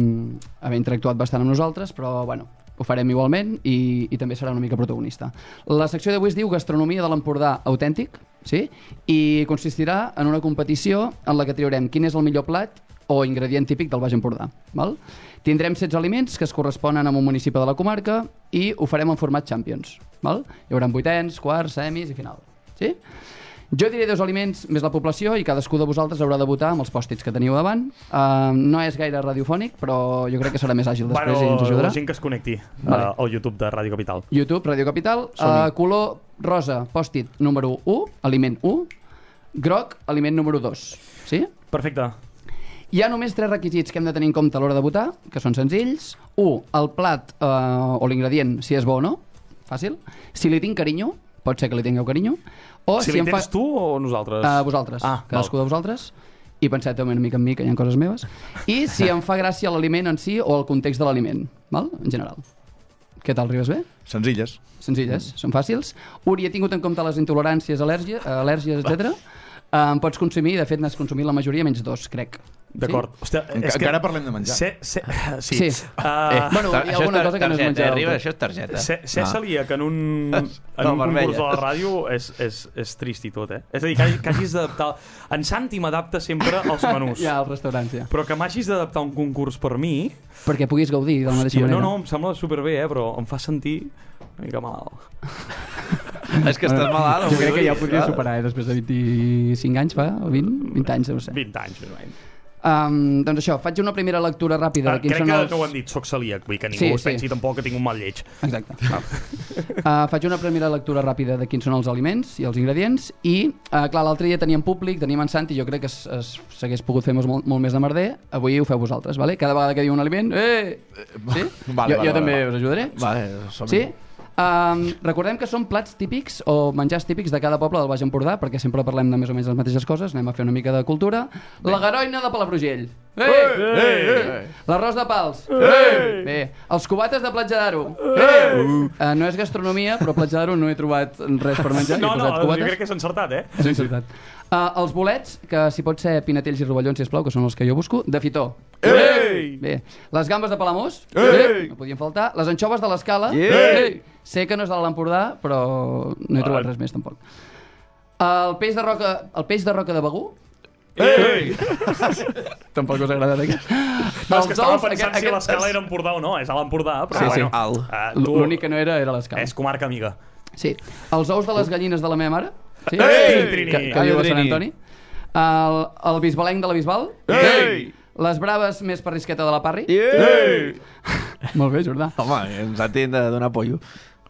haver interactuat bastant amb nosaltres, però bueno, ho farem igualment i, i també serà una mica protagonista. La secció d'avui es diu Gastronomia de l'Empordà autèntic, sí? I consistirà en una competició en la que triarem quin és el millor plat o ingredient típic del Baix Empordà. Val? Tindrem setze aliments que es corresponen amb un municipi de la comarca i ho farem en format Champions. Val? Hi haurà vuitens, quarts, semis i final. Sí? Jo diré dos aliments més la població i cadascú de vosaltres haurà de votar amb els pòstits que teniu davant. Uh, no és gaire radiofònic, però jo crec que serà més àgil després bueno, i ens ajudarà. la gent que es connecti Vale. uh, al YouTube de Ràdio Capital. YouTube, Radio Capital, uh, color rosa, pòstit número u, aliment u, groc, aliment número dos. Sí? Perfecte. Hi ha només tres requisits que hem de tenir en compte a l'hora de votar, que són senzills. un. El plat eh, o l'ingredient, si és bo o no. Fàcil. Si li tinc carinyo, pot ser que li tingueu carinyo. O Si, si, si em fa... tens tu o nosaltres? Uh, vosaltres, Ah, cadascú val. de vosaltres. I penseu també una mica en mi, que hi ha coses meves. I si em fa gràcia l'aliment en si o el context de l'aliment, val? En general. Què tal, arribes bé? Senzilles. Senzilles, són fàcils. Uri, he tingut en compte les intoleràncies, al·lèrgia, al·lèrgies, etcètera. Uh, em pots consumir, de fet n'has consumit la majoria, menys dos, crec. D'acord. Sí? Hòstia, Enca és que... encara parlem de menjar. Se, se, sí. Sí. Uh, Eh, Bueno, hi ha això alguna és tar- cosa que no és targeta, menjar eh, del Riba, tot. això és targeta. Ser, ser celíac en un, en No, un vermella. concurs de la ràdio és, és, és trist i tot, eh? És a dir, que, hagi- que hagis d'adaptar... En Santi m'adapta sempre als menús. Ja, als restaurants, ja. Però que m'hagis d'adaptar un concurs per mi... Perquè puguis gaudir de la mateixa Hòstia, no, manera. no, em sembla superbé, eh? Però em fa sentir una mica malalt. És que estàs malalt. Jo crec avui, que ja ho podria clar. superar, eh? Després de vint-i-cinc anys, fa? O vint? vint anys, no ho sé. vint anys, més o menys. Um, doncs això, faig una primera lectura ràpida Ah, de quins crec són que els... no ho hem dit, soc celíac, vull que ningú Sí, es sí. pensi tampoc que tinc un mal lleig. Exacte. Uh, faig una primera lectura ràpida de quins són els aliments i els ingredients i, uh, clar, l'altre dia teníem públic, teníem en Santi, jo crec que es- es- s'hagués pogut fer molt, molt més de merder, avui ho feu vosaltres, vale? Cada vegada que diu un aliment, eh! Sí? Vale, jo vale, jo també vale. us ajudaré. Vale, som Sí? Um, recordem que són plats típics o menjars típics de cada poble del Baix Empordà, perquè sempre parlem de més o menys les mateixes coses, anem a fer una mica de cultura. La garoina de Palafrugell. Ei! Ei! L'arròs de Pals. Ei! Bé, els cubates de Platja d'Aro. Ei! Uh, no és gastronomia, però a Platja d'Aro no he trobat res per menjar. No, he no, posat jo cubates. crec que és encertat, eh? És encertat. Uh, els bolets, que si pot ser pinatells i rovellons, sisplau, que són els que jo busco, de Fitó. Ei! Bé, les gambes de Palamós. Ei! No podien faltar. Les anxoves de l'Escala. Ei! Sé que no és de l'Empordà, però no he trobat res més, tampoc. El peix de roca, el peix de roca de Begú. Ei! Tampoc us ha agradat aquest. No, és que estava ous, pensant aquest- si l'escala era Empordà o no, és a l'Empordà, però Sí, sí. bueno. Alt. Uh, tu, L'únic que no era era l'Escala. és comarca amiga. Sí. Els ous de les gallines de la meva mare. Sí? Ei, Trini! Que, que viu a Sant Trini. Antoni. El, el bisbalenc de la Bisbal. Ei! Les braves més perrisqueta de la Parri. Ei! Molt bé, Jordà. Home, ens han de donar pollo.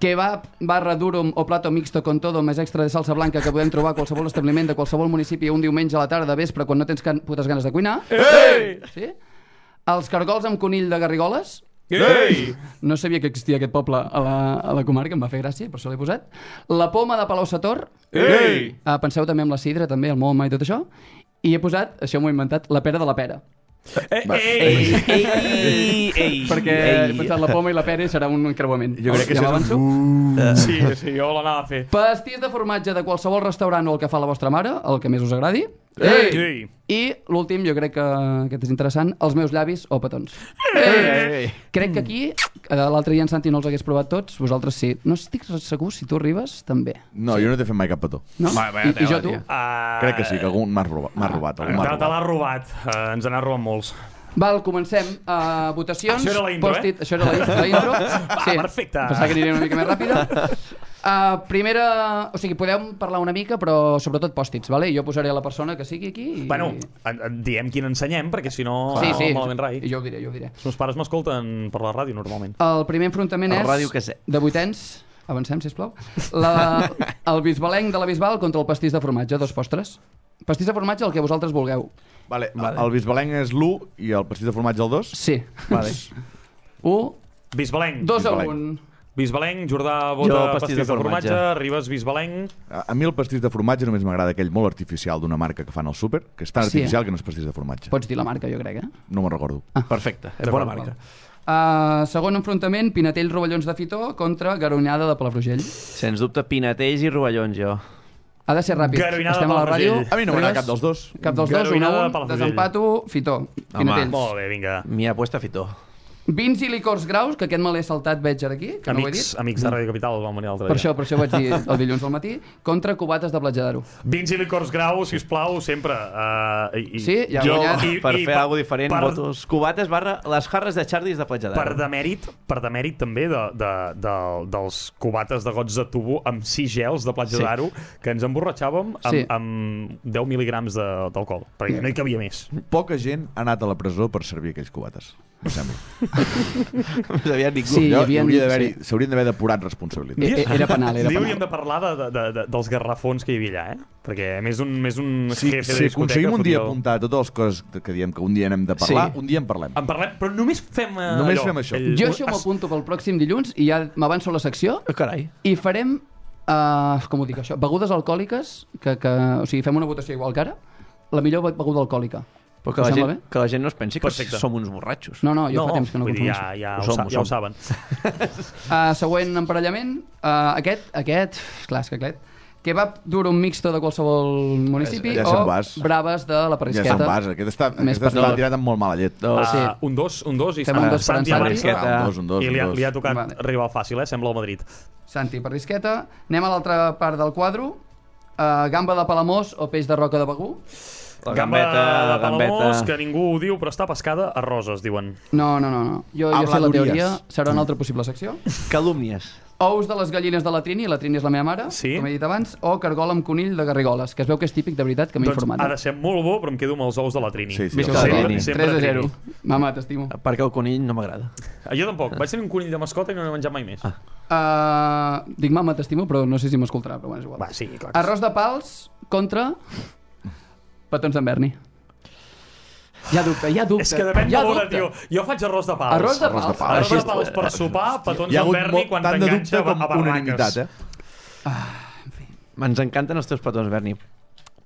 Kebab barra durum o plato mixto con todo més extra de salsa blanca que podem trobar a qualsevol establiment de qualsevol municipi un diumenge a la tarda de vespre quan no tens can putes ganes de cuinar. Ei! Sí? Els cargols amb conill de Garrigoles. Ei! No sabia que existia aquest poble a la, a la comarca, em va fer gràcia, per això l'he posat. La poma de Palau Sator. Ei! Uh, penseu també en la sidra, també, el moma i tot això. I he posat, això m'ho he inventat, la pera de la pera. Ei! Ei, ei, ei. Perquè he pensat la poma i la pera i serà un encreuament. Jo crec que ja això és m'avanço. un... Sí, sí, jo l'anava a fer. Pastís de formatge de qualsevol restaurant o el que fa la vostra mare, el que més us agradi. Ei! I l'últim, jo crec que aquest és interessant, els meus llavis o petons. Ei. Crec que aquí, eh, l'altre dia en Santi no els hagués provat tots, vosaltres sí. No estic segur si tu arribes, també. No, jo no t'he fet mai cap petó. No? Va, vaya I, I jo tela, tu? tio. Uh, Crec que sí, que algun m'ha robat. M'ha robat, algú m'ha Te, te l'ha robat. robat. Uh, ens n'ha robat molts. Val, comencem. Uh, votacions. Això era la intro, post-it. eh? Això era la, la intro. Sí. perfecte. Pensava que aniria una mica més ràpida. Uh, primera... O sigui, podeu parlar una mica, però sobretot pòstits, vale? Jo posaré la persona que sigui aquí i... Bueno, en, en, diem quin ensenyem, perquè si no, sí, sí, malament rai. jo ho diré, jo ho diré. Els meus pares m'escolten per la ràdio, normalment. El primer enfrontament El és ràdio que sé. de vuitens. Avancem, sisplau. La, el bisbalenc de la Bisbal contra el pastís de formatge, dos postres. Pastís de formatge, el que vosaltres vulgueu. Vale, Vale. el bisbalenc és l'u i el pastís de formatge el dos? Sí. Vale. un, Bisbalenc. dos a Bisbalenc. un. Bisbalenc, Jordà Jo, vota pastís pastís de de formatge, formatge. Ribes Bisbalenc. A, a mi el pastís de formatge només m'agrada aquell molt artificial d'una marca que fan al súper, que és tan Sí. artificial que no és pastís de formatge. Pots dir la marca, jo crec, eh? No me'n recordo. Perfecte, és bona D'acord, marca. Uh, segon enfrontament, Pinatell Rovellons de Fitó contra Garonyada de Palafrugell. Sens dubte, Pinatells i Rovellons, jo. Ha de ser ràpid. Garoinada Estem de a la ràdio. Palafrugell. A mi no m'agrada Ribes? cap dels dos. Cap dels dos, un a Garoinada de un. Palafrugell. Desempato, Fitó. Pinatells. Molt bé, vinga. M'hi ha puesto a Fitó. Vins i licors graus, que aquest me l'he saltat, veig ara aquí, que no ho he Amics, dit. amics de Ràdio Capital van venir l'altre Per dia. això, per això ho vaig dir el dilluns al matí, contra cubates de Platja d'Aro. Vins i licors grau, sisplau, sempre. Uh, i, Sí, ja ha Jo, guanyat. i- per i fer per- alguna diferent, per- votos cubates barra les jarres de Chardis de Platja Per d'Aro. demèrit, per demèrit també de, de, de, dels cubates de gots de tubo amb sis gels de Platja Sí. d'Aro que ens emborratxàvem amb, Sí. amb deu mil·ligrams de- d'alcohol, perquè no hi cabia més. Poca gent ha anat a la presó per servir aquells cubates, em sembla. No sabia ningú. Sí, hi Jo- havia- hauria d'haver-hi- sí. S'haurien d'haver depurat responsabilitats. Eh, eh, Era penal, era Un dia hauríem penal. de parlar de, de, de, dels garrafons que hi havia allà, eh? Perquè més un, més un Si, jefe de si discoteca... aconseguim un dia podria- apuntar totes les coses que diem que un dia n'hem de parlar, Sí. un dia en parlem. En parlem, però només fem eh, Només allò. fem això. El- Jo això m'ho apunto pel pròxim dilluns i ja m'avanço a la secció Oh, carai. i farem, uh, com ho dic això, begudes alcohòliques, que, que, o sigui, fem una votació igual que ara, la millor be- beguda alcohòlica. Però que Us la, sembla gent, bé? que la gent no es pensi que Perfecte. som uns borratxos. No, no, jo fa temps que no vull dir, confondeixo. ja, ja, Ho ho, som, sa, ho ja ho som. saben. Uh, següent emparellament, uh, aquest, aquest, clar, és que aquest, kebab duro mixto de qualsevol municipi Ja o se'n vas. braves de la Ja Parisqueta. se'n vas. Aquest està, Més aquest està petit. tirat amb molt mala llet. Dos. sí. Uh, un dos, un dos i Fem un dos per en Santi Santi. Abarca. Parisqueta. Un dos, un dos, I li ha, un dos. li ha tocat Vale. rival fàcil, eh? Sembla el Madrid. Santi Parisqueta. Anem a l'altra part del quadro. Uh, gamba de Palamós o peix de roca de Begú. La Gamba gambeta, la de Palamós, gambeta... que ningú ho diu, però està pescada a roses, diuen. No, no, no. no. Jo, jo sé la Habladuries. teoria. Serà una altra possible secció. Calúmnies. Ous de les gallines de la Trini, la Trini és la meva mare, Sí. com he dit abans, o cargol amb conill de Garrigoles, que es veu que és típic de veritat, que m'he Doncs informat. ha de ser molt bo, però em quedo amb els ous de la Trini. Sí, sí, Visca els la de Trini. sempre tres a zero. Trini. Mama, t'estimo. Perquè el conill no m'agrada. Ah, jo tampoc. Vaig tenir un conill de mascota i no n'he menjat mai més. Ah. Uh, dic mama, t'estimo, però no sé si m'escoltarà, però bueno, és igual. Va, sí, clar. que Arròs de pals contra petons d'en Berni. Hi ha dubte, hi ha dubte. És que depèn hi de ha l'hora, dubte. tio. Jo faig arròs de pals. Arròs de Arròs de pals. pals. Arròs de Així- pals per sopar, petons Hi ha hagut d'Alberni molt, quan tant de t'enganxa dubte a, com a barraques. unanimitat, eh? Ens encanten els teus petons, Berni.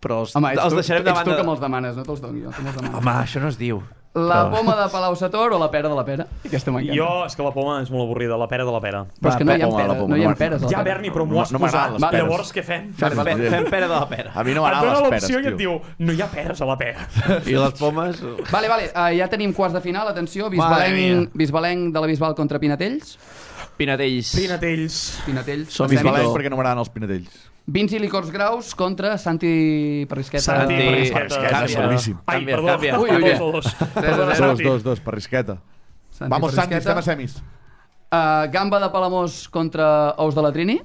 Però els, Home, ets els tu, deixarem de ets tu banda. que me'ls demanes, no te'ls dono jo. Tu me'ls demanes. Home, això no es diu. La Però- poma de Palau Sator o la pera de la pera? Aquesta m'encanta. Jo, és que la poma és molt avorrida, la pera de la pera. Però és que no hi ha, poma, la pera, poma, no hi ha no peres a la Ja, pera. Berni, però m'ho No- has no m'agraden posat. les peres. Llavors, què fem? Vale, vale. Fem, fem pera de la pera. A mi no Et m'agraden dona les peres, l'opció i et tio. diu, no hi ha peres a la pera. I les pomes... Vale, vale, uh, ja tenim quarts de final, atenció, Madre Bisbalenc, mia. Bisbalenc de la Bisbal contra Pinatells. Pinatells. Pinatells. Pinatells. Som Passem. Bisbalenc Fito. perquè no m'agraden els pinatells. Vins i licors graus contra Santi Parisqueta. Santi Santi, Parisqueta. canvia. És seguríssim. Ai, Canvia, perdó. canvia. Ui, ui, ui. Dos, dos. Tres a Perdona, zero. Dos, Santi. dos, dos, per risqueta. Santi Vamos, Santi, Parisqueta. estem a semis. Uh, gamba de Palamós contra ous de la Trini.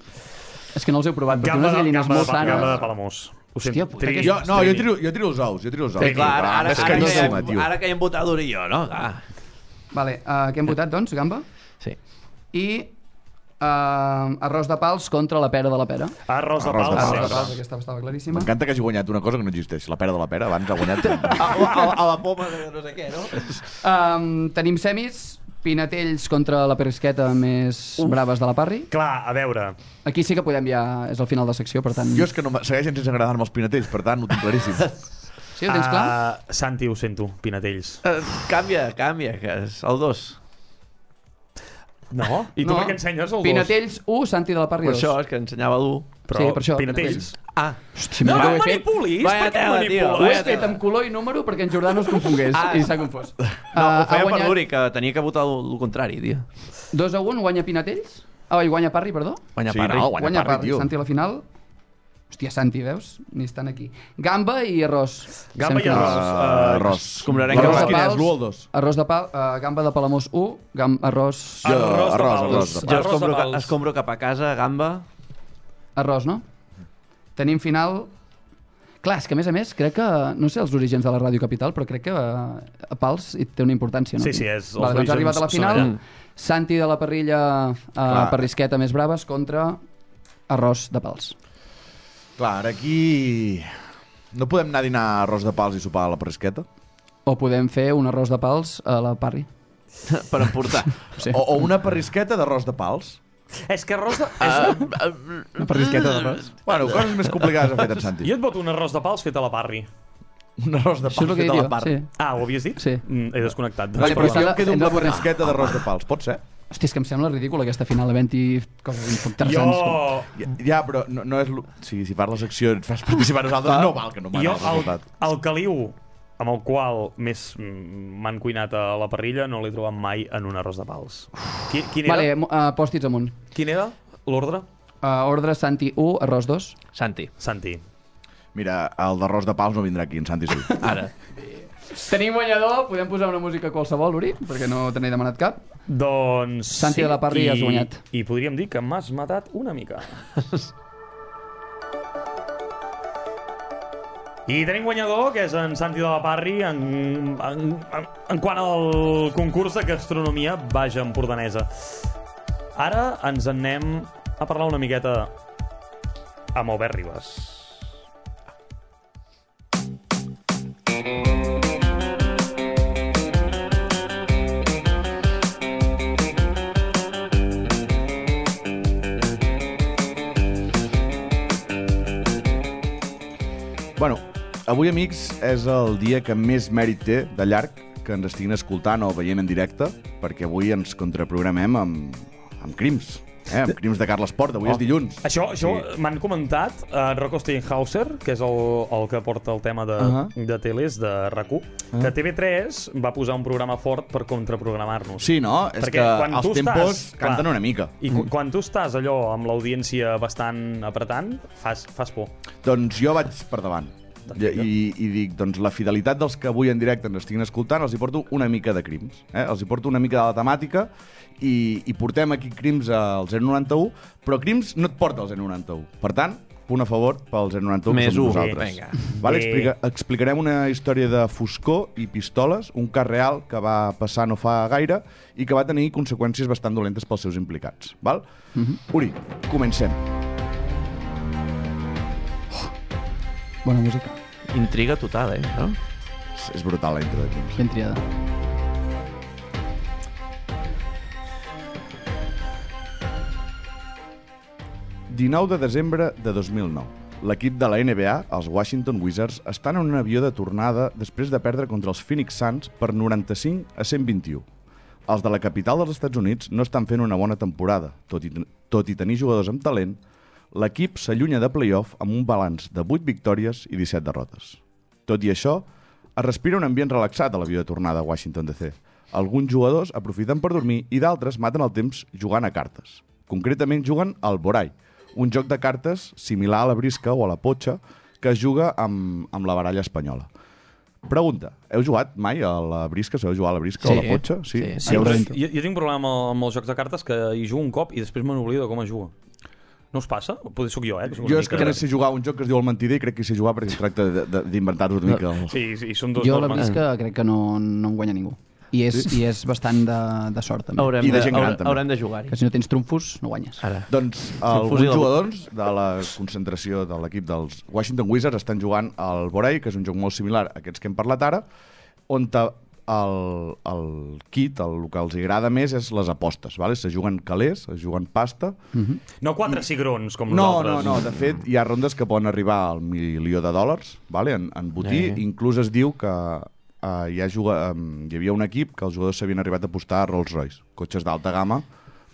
És que no els he provat, perquè Gamba, unes de, gallines gamba, molt de, gamba de sanes. Palamós. Ho Hòstia, sento. puta, Trini. que- Jo, no, jo Trini. tiro, jo tiro els ous, jo tiro els ous. Sí, clar, ara, ara, és ara, que caríssima, hem, tio. ara que hi hem votat dur i jo, no? Ah, Vale, uh, què hem votat, doncs, gamba? sí. I uh, arròs de pals contra la pera de la pera. Arròs de Arròs de pals. Arròs de pals. pals, aquesta estava claríssima. M'encanta que hagi guanyat una cosa que no existeix, la pera de la pera, abans ha guanyat... A, a, a la poma de no sé què, no? Um, tenim semis, Pinatells contra la Perisqueta més Uf. braves de la Parri. Clar, a veure. Aquí sí que podem ja... És el final de secció, per tant... Jo és que no, m- segueixen sense agradar-me els pinatells, per tant, ho tinc claríssim. Sí, ho tens clar? Uh, Santi, ho sento, Pinatells. Uh, canvia, canvia, que és el dos. No? I tu per què ensenyes el dos? Pinatells u, Santi de la Parri Per dos. això, és que ensenyava l'u. Però Sí, per això, Pinatells. Ah, Hòstia, No, mira no que ho he fet. manipulis! Vaya Per què tela, tio, Ho he manipules? vaya fet amb color i número perquè en Jordà no es confongués Ah. i s'ha confós. no, Ah, ho feia ha per guanyat l'Uri, que tenia que votar el contrari, tio. dos a un, guanya Pinatells. Ah, i guanya Parri, perdó. Guanya Sí, Parri. no, guanya Parri, tio. Santi a la final. Hòstia, Santi, veus? Ni estan aquí. Gamba i arròs. Gamba i Sempre. arròs. Uh, Uh, arròs. escombrarenc L'arròs de quin és? pals. L'u o el dos? Arròs de pal, uh, gamba de Palamós u, gam, arròs... Jo, Arròs de arròs, pals. arròs de Jo Arròs de escombro, pals. escombro cap a casa, gamba... Arròs, no? Tenim final... Clar, és que a més a més crec que... No sé els orígens de la Ràdio Capital, però crec que uh, a Pals hi té una importància, no? Sí, sí, és- els Vale, doncs ha orígens arribat a la són final. allà. Santi de la parrilla uh, Parrisqueta més braves contra arròs de Pals. Clar, ara aquí... No podem anar a dinar arròs de pals i sopar a la parrisqueta? O podem fer un arròs de Pals a la Parri. per emportar. Sí. O, o una parrisqueta d'arròs de pals? És que arròs de... Uh, És... uh, Una parrisqueta d'arròs. Bueno, coses més complicades ha fet en Santi. Jo et voto un arròs de pals fet a la parri. Un arròs de Això és pals el que fet a la diria, part. sí. Ah, ho havies dit? Sí. Mm, he desconnectat. Vale, però però jo s'ha em de- quedo hem amb de la posar- parrisqueta d'arròs de pals, pot ser? Hòstia, és que em sembla ridícul aquesta final havent-hi coses interessants. Jo... Ja, ja però no, no és... lo- Sí, si fas la secció i et fas participar nosaltres, no val que no m'han Jo, el el, resultat. el caliu amb el qual més mm, m'han cuinat a la parrilla no l'he trobat mai en un arròs de pals. Qui, quin era? Vale, uh, pòstits amunt. Quin era l'ordre? Uh, ordre Santi u, arròs dos. Santi, Santi. Mira, el d'arròs de pals no vindrà aquí, en Santi sí. ara. Tenim guanyador, podem posar una música qualsevol, Uri, perquè no te n'he demanat cap. Doncs... Santi de la Parri, i, has guanyat. I podríem dir que m'has matat una mica. I tenim guanyador, que és en Santi de la Parri, en, en, en, en quant al concurs de gastronomia baja empordanesa. Ara ens en anem a parlar una miqueta amb Albert Ribas. Bueno, avui, amics, és el dia que més mèrit té, de llarg, que ens estiguin escoltant o veient en directe, perquè avui ens contraprogramem amb, amb crims, eh? amb crims de Carles Porta. Avui oh. és dilluns. Això, això Sí. m'han comentat uh, Rocco Steinhauser, que és el, el que porta el tema de, uh Ahà. -huh. de teles, de R A C U, uh -huh. que T V tres va posar un programa fort per contraprogramar-nos. Sí, no? És Perquè que quan els tu tempos estàs- canten clar. una mica. I mm. quan tu estàs allò amb l'audiència bastant apretant, fas, fas por. Doncs jo vaig per davant. I, i, I dic, doncs la fidelitat dels que avui en directe ens estiguin escoltant, els hi porto una mica de crims. Eh? Els hi porto una mica de la temàtica i, i portem aquí crims al zero noranta u, però crims no et porta al zero noranta u. Per tant, punt a favor pel zero noranta u, Més que som u, nosaltres. vinga. Vale, Bé. explica, explicarem una història de foscor i pistoles, un cas real que va passar no fa gaire i que va tenir conseqüències bastant dolentes pels seus implicats. Val? Mm-hmm. Uri, comencem. Bona música. Intriga total, eh? No? És, és brutal la intro de crims. Ben triada. dinou de desembre de dos mil nou. L'equip de la N B A, els Washington Wizards, estan en un avió de tornada després de perdre contra els Phoenix Suns per noranta-cinc a cent vint-i-u. Els de la capital dels Estats Units no estan fent una bona temporada. Tot i, tot i tenir jugadors amb talent, l'equip s'allunya de playoff amb un balanç de vuit victòries i disset derrotes. Tot i això, es respira un ambient relaxat a l'avió de tornada a Washington D C. Alguns jugadors aprofiten per dormir i d'altres maten el temps jugant a cartes. Concretament juguen al Borai, un joc de cartes similar a la brisca o a la potxa que es juga amb, amb la baralla espanyola. Pregunta, heu jugat mai a la brisca? Sabeu jugar a la brisca Sí. o a la potxa? Sí, Sí, sí, Heu- però jo, jo tinc un problema amb, amb els jocs de cartes que hi jugo un cop i després me n'oblido de com es juga. No us passa? Potser sóc jo, eh? Que sóc una Jo és que mica- només sé jugar a un joc que es diu el mentider i crec que hi sé jugar perquè es tracta de- de- d'inventar-vos una mica. El... Sí, sí, són dos Jo la normes. brisca crec que no, no en guanya ningú. I és, Sí? i és bastant de, de sort, també. Haurem, I de de, gent gran, haurem, també. haurem de jugar-hi. Que si no tens trumfos, no guanyes. Ara. Doncs fusil alguns de- jugadors de la concentració de l'equip dels Washington Wizards estan jugant al Borai, que és un joc molt similar a aquests que hem parlat ara, on ta- el, el kit, el, el que els agrada més és les apostes, vale? Se juguen calés, es juguen pasta. No quatre cigrons, com No, nosaltres. no, no, de fet hi ha rondes que poden arribar al milió de dòlars, vale? en, en botí, Eh. inclús es diu que uh, hi, ha juga, um, hi havia un equip que els jugadors s'havien arribat a apostar a Rolls Royce, cotxes d'alta gamma,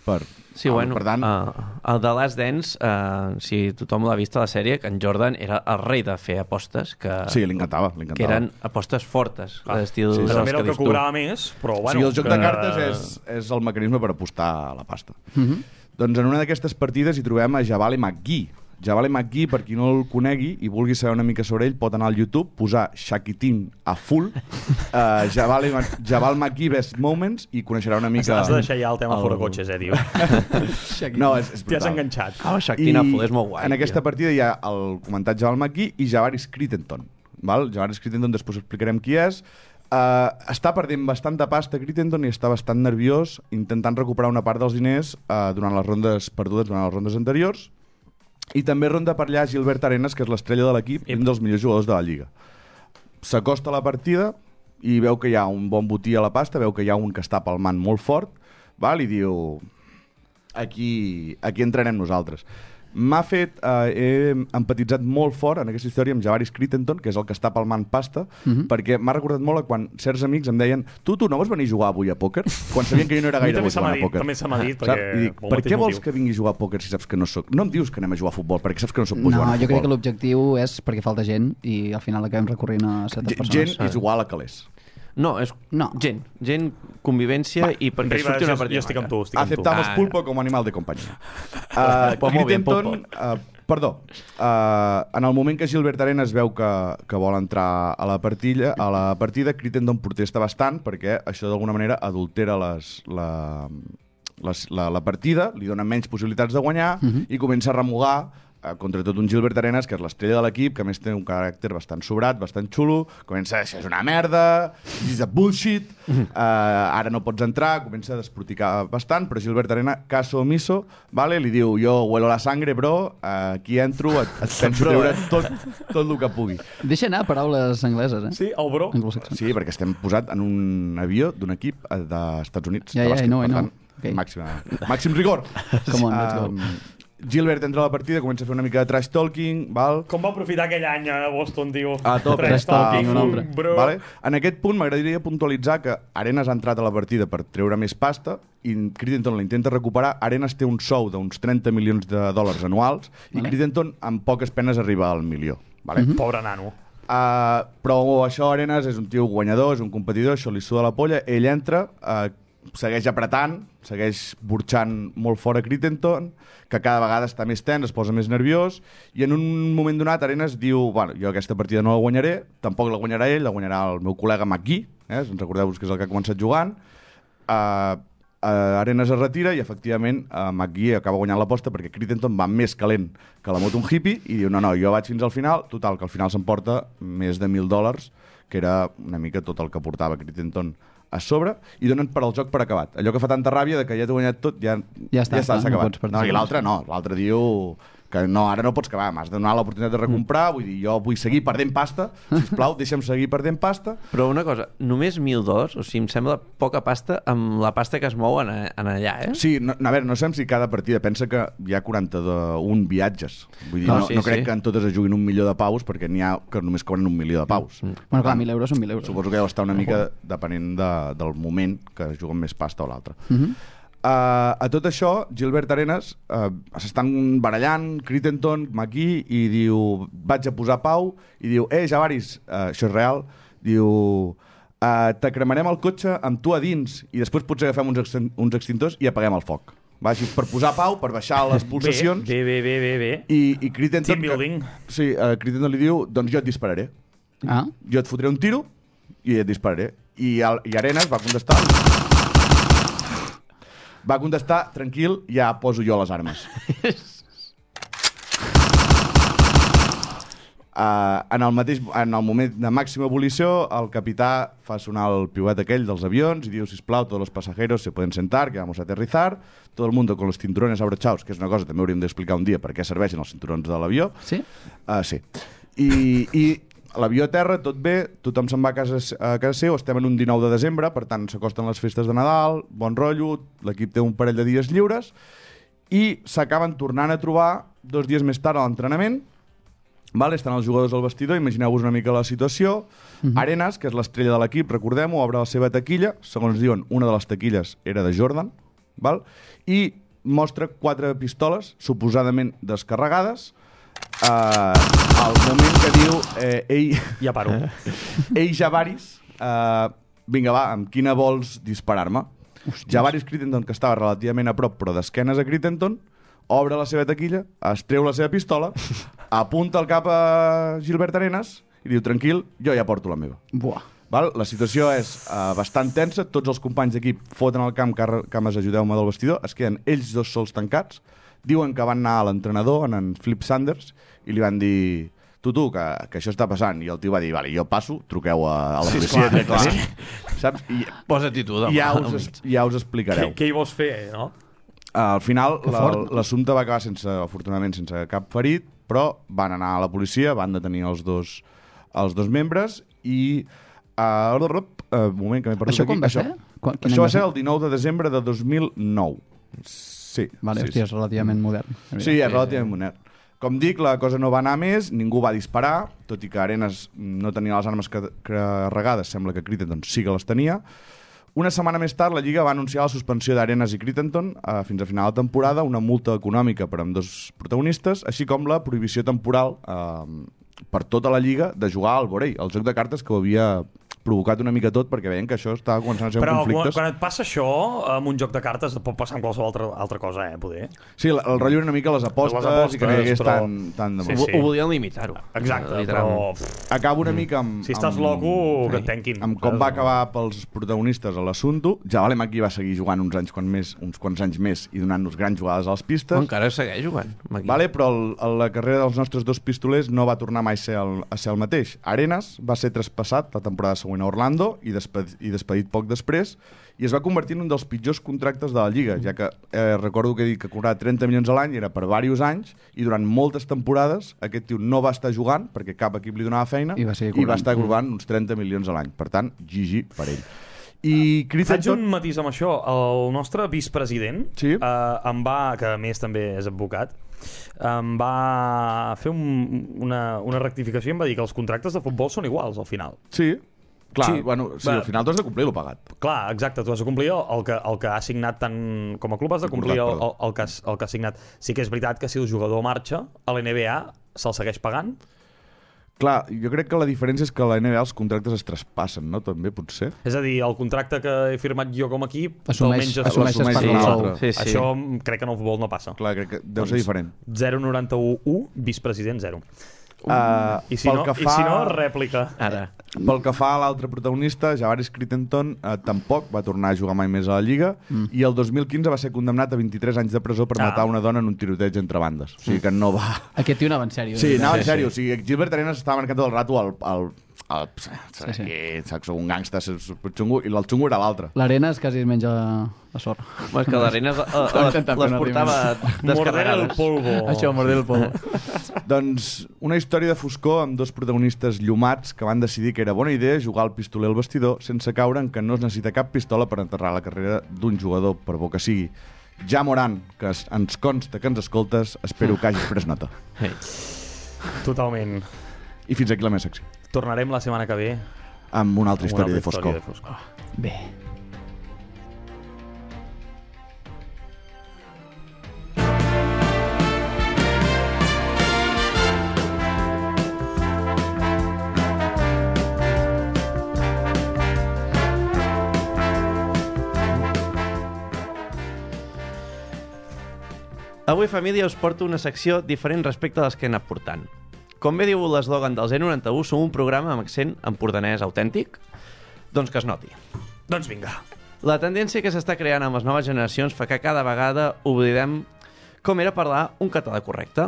per... Sí, ah, bueno, per tant, uh, el de Last Dance, uh, si tothom l'ha vist a la sèrie, que en Jordan era el rei de fer apostes, que, sí, li encantava, li encantava. que eren apostes fortes, Ah, l'estil sí, de sí. També les era que el que dius tu. cobrava més, però Bueno, bueno... sí, el joc que... de cartes és, és el mecanisme per apostar a la pasta. Mhm. Doncs en una d'aquestes partides hi trobem a Javale McGee. Javale McGee, per qui no el conegui i vulgui saber una mica sobre ell, pot anar al YouTube, posar Shakitin a full, uh, Javale, Javal McGee Best Moments, i coneixerà una mica... Has de deixar ja el tema el... fora cotxes, eh, diu. No, és, és T'hi has brutal. enganxat. Ah, Shakitin a full és molt guai. En aquesta tio. partida hi ha el comentat Javal McGee i Javaris Crittenton. Val? Javaris Crittenton, després explicarem qui és. Uh, està perdent bastanta pasta Crittenton i està bastant nerviós intentant recuperar una part dels diners uh, durant les rondes perdudes durant les rondes anteriors, i també ronda per allà Gilbert Arenas, que és l'estrella de l'equip i un dels millors jugadors de la Lliga. S'acosta a la partida i veu que hi ha un bon botí a la pasta, veu que hi ha un que està palmant molt fort, val? I diu aquí, aquí entrarem nosaltres. M'ha fet, eh, he empatitzat molt fort en aquesta història amb Javaris Crittenton, que és el que està palmant pasta, uh-huh. perquè m'ha recordat molt a quan certs amics em deien tu, tu no vols venir a jugar avui a pòquer? Quan sabien que jo no era gaire bo jugant a pòquer. També se m'ha dit, perquè... I dic, per què vols que vingui a jugar a pòquer si saps que no soc? No em dius que anem a jugar a futbol, perquè saps que no soc bo No, jugant a futbol. jo crec que l'objectiu és perquè falta gent i al final acabem recorrint a certes G- persones. Gent és igual a calés. No, és No. gent. Gent, convivència i perquè Riba, surti una jo, partida jo estic amb tu, maca. estic amb tu. Aceptamos Ah, pulpo como animal de compañía. Uh, Pues molt bien, Crittenton, uh, perdó, uh, en el moment que Gilbert Arenas veu que, que vol entrar a la, partida, a la partida, Crittenton protesta bastant perquè això d'alguna manera adultera les, la, les, la, la partida, li dona menys possibilitats de guanyar uh-huh. i comença a remugar eh, contra tot un Gilbert Arenas, que és l'estrella de l'equip, que a més té un caràcter bastant sobrat, bastant xulo, comença a això és una merda, this is a bullshit, uh, ara no pots entrar, comença a desproticar bastant, però Gilbert Arenas, caso omiso, vale, li diu, jo huelo la sangre, bro, uh, aquí entro, et, et penso treure tot, tot el que pugui. Deixa anar paraules angleses, eh? Sí, el bro. Anglosaxons. Sí, perquè estem posat en un avió d'un equip eh, dels Estats Units. Ja, de ja, bàsquet, I know, I per know. tant, Okay. màxima, màxim rigor. Come on, let's go. Um, Gilbert entra a la partida, comença a fer una mica de trash talking, val? Com va aprofitar aquell any a Boston, tio? A tope. Trash talking, un un altre. bro. Vale? En aquest punt m'agradaria puntualitzar que Arenas ha entrat a la partida per treure més pasta i Crittenton la intenta recuperar. Arenas té un sou d'uns trenta milions de dòlars anuals i Vale. Crittenton amb poques penes arriba al milió. Vale? Mm -hmm. Pobre nano. Uh, però això Arenas és un tio guanyador, és un competidor, això li suda la polla, ell entra, uh, segueix apretant, segueix burxant molt fora Crittenton, que cada vegada està més tens, es posa més nerviós, i en un moment donat Arenas diu, bueno, jo aquesta partida no la guanyaré, tampoc la guanyarà ell, la guanyarà el meu col·lega McGee, eh? Recordeu-vos que és el que ha començat jugant. Uh, uh, Arenas es retira i efectivament uh, McGee acaba guanyant l'aposta perquè Crittenton va més calent que la moto un hippie i diu, no, no, jo vaig fins al final, total, que al final s'emporta més de mil dòlars, que era una mica tot el que portava Crittenton a sobre, i donen per al joc per acabat. Allò que fa tanta ràbia de que ja t'he guanyat tot, ja, Ja està, ja està, clar, s'ha no acabat. pots partir No, I més. l'altre no, l'altre diu que no, ara no pots acabar, m'has de donar l'oportunitat de recomprar, vull dir, jo vull seguir perdent pasta, sisplau, deixa'm seguir perdent pasta. Però una cosa, només mil dòlars, o sigui, em sembla poca pasta amb la pasta que es mou en, en allà, eh? Sí, no, a veure, no sabem si cada partida, pensa que hi ha quaranta-un viatges, vull dir, No, no, sí, no crec sí. que en totes es juguin un milió de paus, perquè n'hi ha que només cobren un milió de paus. Bueno, clar, mil euros són mil euros. Suposo que deu estar una mica depenent de, del moment que juguen més pasta o l'altre. Uh -huh. Uh, a tot això, Gilbert Arenas uh, s'estan barallant, Crittenton, McGee, i diu, vaig a posar pau, i diu, eh, Javaris, uh, això és real, diu, uh, te cremarem el cotxe amb tu a dins i després potser agafem uns, extin uns extintors i apaguem el foc. Va, així, per posar pau, per baixar les pulsacions. Bé, bé, bé, bé, bé. I, i Crittenton, Team building. Que, sí, uh, Crittenton li diu, doncs jo et dispararé. Ah, Jo et fotré un tiro i et dispararé. I, el, i Arenas va contestar... Va contestar, tranquil, ja poso jo les armes. Uh, en, el mateix, en el moment de màxima ebullició, el capità fa sonar el piuet aquell dels avions i diu, sisplau, tots els passajeros se poden sentar, que vamos a aterrizar, todo el mundo con los cinturones abrochados, que és una cosa que també hauríem d'explicar un dia per què serveixen els cinturons de l'avió. sí? Uh, sí. I, i l'avió a terra, tot bé, tothom se'n va a casa, a casa seu, estem en un dinou de desembre, per tant s'acosten les festes de Nadal, bon rotllo, l'equip té un parell de dies lliures, i s'acaben tornant a trobar dos dies més tard a l'entrenament, vale? Estan els jugadors al vestidor, imagineu-vos una mica la situació, uh -huh. Arenas, que és l'estrella de l'equip, recordem-ho, obre la seva taquilla, segons diuen, una de les taquilles era de Jordan, val? I mostra quatre pistoles, suposadament descarregades, Uh, al moment que diu eh, ei, Ja paro. ei Javaris, uh, vinga va, amb quina vols disparar-me? Javaris Crittenton, que estava relativament a prop però d'esquenes a Crittenton, obre la seva taquilla, es treu la seva pistola, apunta el cap a Gilbert Arenas i diu, tranquil, jo ja porto la meva. Buah. Val? La situació és uh, bastant tensa, tots els companys d'equip foten al camp, cames, ajudeu-me del vestidor, es queden ells dos sols tancats, diuen que van anar a l'entrenador, en, en Flip Sanders, i li van dir... Tu, tu, que, que això està passant. I el tio va dir, vale, jo passo, truqueu a, a la policia. Sí, clar, clar. Saps? I, posa-t'hi tu, demà. Ja us, ja us explicareu. Què, què hi vols fer, no? Al final, l'assumpte va acabar sense, afortunadament, sense cap ferit, però van anar a la policia, van detenir els dos, els dos membres i... Uh, uh, un moment, que m'he perdut això aquí. Quan va això, ser? Quan, això va ser el dinou de desembre de dos mil nou. Sí. Vale, sí, hòstia, sí. és relativament modern. Sí, és relativament modern. Com dic, la cosa no va anar més, ningú va disparar, tot i que Arenas no tenia les armes carregades, sembla que Crittenton sí que les tenia. Una setmana més tard, la Lliga va anunciar la suspensió d'Arenas i Crittenton eh, fins a final de temporada, una multa econòmica per amb dos protagonistes, així com la prohibició temporal eh, per tota la Lliga de jugar al vorell, el joc de cartes que ho havia provocat una mica tot, perquè veien que això estava començant a ser Però un conflicte. Però quan, quan et passa això, amb un joc de cartes, et pot passar amb qualsevol altra, altra cosa, eh, poder. Sí, el, el rotllo una mica les apostes, les apostes i que no hi hagués però... tant, tant de sí, sí, sí. Ho volien limitar-ho. Exacte, però... Acabo una mica amb... Si estàs amb, loco, que et tanquin. Amb com va acabar pels protagonistes a l'assumpte. Javale Maki va seguir jugant uns anys quan més, uns quants anys més i donant-nos grans jugades a les pistes. O encara segueix jugant, Maki. Vale, però el, la carrera dels nostres dos pistolers no va tornar mai a ser el, a ser el mateix. Arenas va ser traspassat la temporada següent a Orlando i despedit, i despedit poc després, i es va convertir en un dels pitjors contractes de la Lliga, ja que eh, recordo que he dit que cobrava trenta milions a l'any, era per diversos anys, i durant moltes temporades aquest tio no va estar jugant, perquè cap equip li donava feina, i va, i va estar cobrant uns trenta milions a l'any. Per tant, G G per ell. I Faig un matís amb això. El nostre vicepresident, sí? eh, em va, que a més també és advocat, em va fer un, una, una rectificació i em va dir que els contractes de futbol són iguals al final. Sí. Clar, sí, bueno, sí, al final tu has de complir el pagat. Clar, exacte, tu has de complir el, el, que, el que ha signat tant com a club has de complir el, el, el, que, has, el que ha signat. Sí que és veritat que si el jugador marxa, a l'N B A se'l segueix pagant? Clar, jo crec que la diferència és que a la N B A els contractes es traspassen, no? També, potser. És a dir, el contracte que he firmat jo com a equip assumeix, almenys assumeix, assumeix per l'altre. Sí, sí. Això crec que en el futbol no passa. Clar, crec que deu doncs ser diferent. zero coma noranta-u u, vicepresident zero. Uh, I, si no, fa... I si no, rèplica. Ara. Pel que fa a l'altre protagonista, Javaris Crittenton, eh, tampoc va tornar a jugar mai més a la Lliga mm. i el dos mil quinze va ser condemnat a vint-i-tres anys de presó per ah. matar una dona en un tiroteig entre bandes. O sigui que no va... Aquest tio anava en sèrio. Sí, anava en sí, sèrio. sí. O sigui, Gilbert Arenas estava marcant tot el rato al... al el, sí, sí. saps, un gangsta xungo, i el xungo era l'altre. L'Arenas quasi es menja la sorra. Bueno, és que l'Arenas les, les portava descarregades. El polvo. Això, morder el polvo. Doncs una història de foscor amb dos protagonistes llumats que van decidir que era bona idea jugar al pistoler al vestidor sense caure en que no es necessita cap pistola per enterrar la carrera d'un jugador, per bo que sigui. Ja Moran, que ens consta que ens escoltes, espero que hagis pres nota. Hey. Totalment. I fins aquí la meva secció. Tornarem la setmana que ve amb una altra amb història, una altra de, foscor. història de foscor. Oh. Bé. Avui, família, us porto una secció diferent respecte a les que he anat portant. Com bé diu l'eslògan del zero coma noranta-u, som un programa amb accent empordanès autèntic? Doncs que es noti. Doncs vinga. La tendència que s'està creant amb les noves generacions fa que cada vegada oblidem com era parlar un català correcte.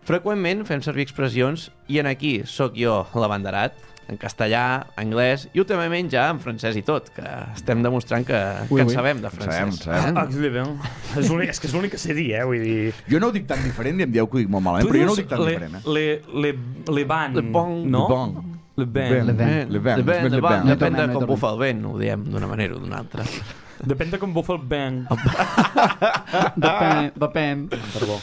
Freqüentment fem servir expressions i en aquí sóc jo l'abanderat, en castellà, anglès i últimament ja en francès i tot, que estem demostrant que, ui, que en ui. sabem de francès. Sabem, sabem. Ah, és, és que és l'únic que sé dir, eh? Vull dir... Jo no ho dic tan diferent i em dieu que ho dic molt malament, Tu però jo no ho dius dic tan le, diferent. Eh? Le, le, le ban, Le bon. no? Le bon. Le ban. Le ban. Le ban. Le vent, Le le ban. vent, No depèn de tornem, no com tornem. bufa el vent, ho diem d'una manera o d'una altra. Depèn de com bufa el ban. Depèn, depèn. Perdó.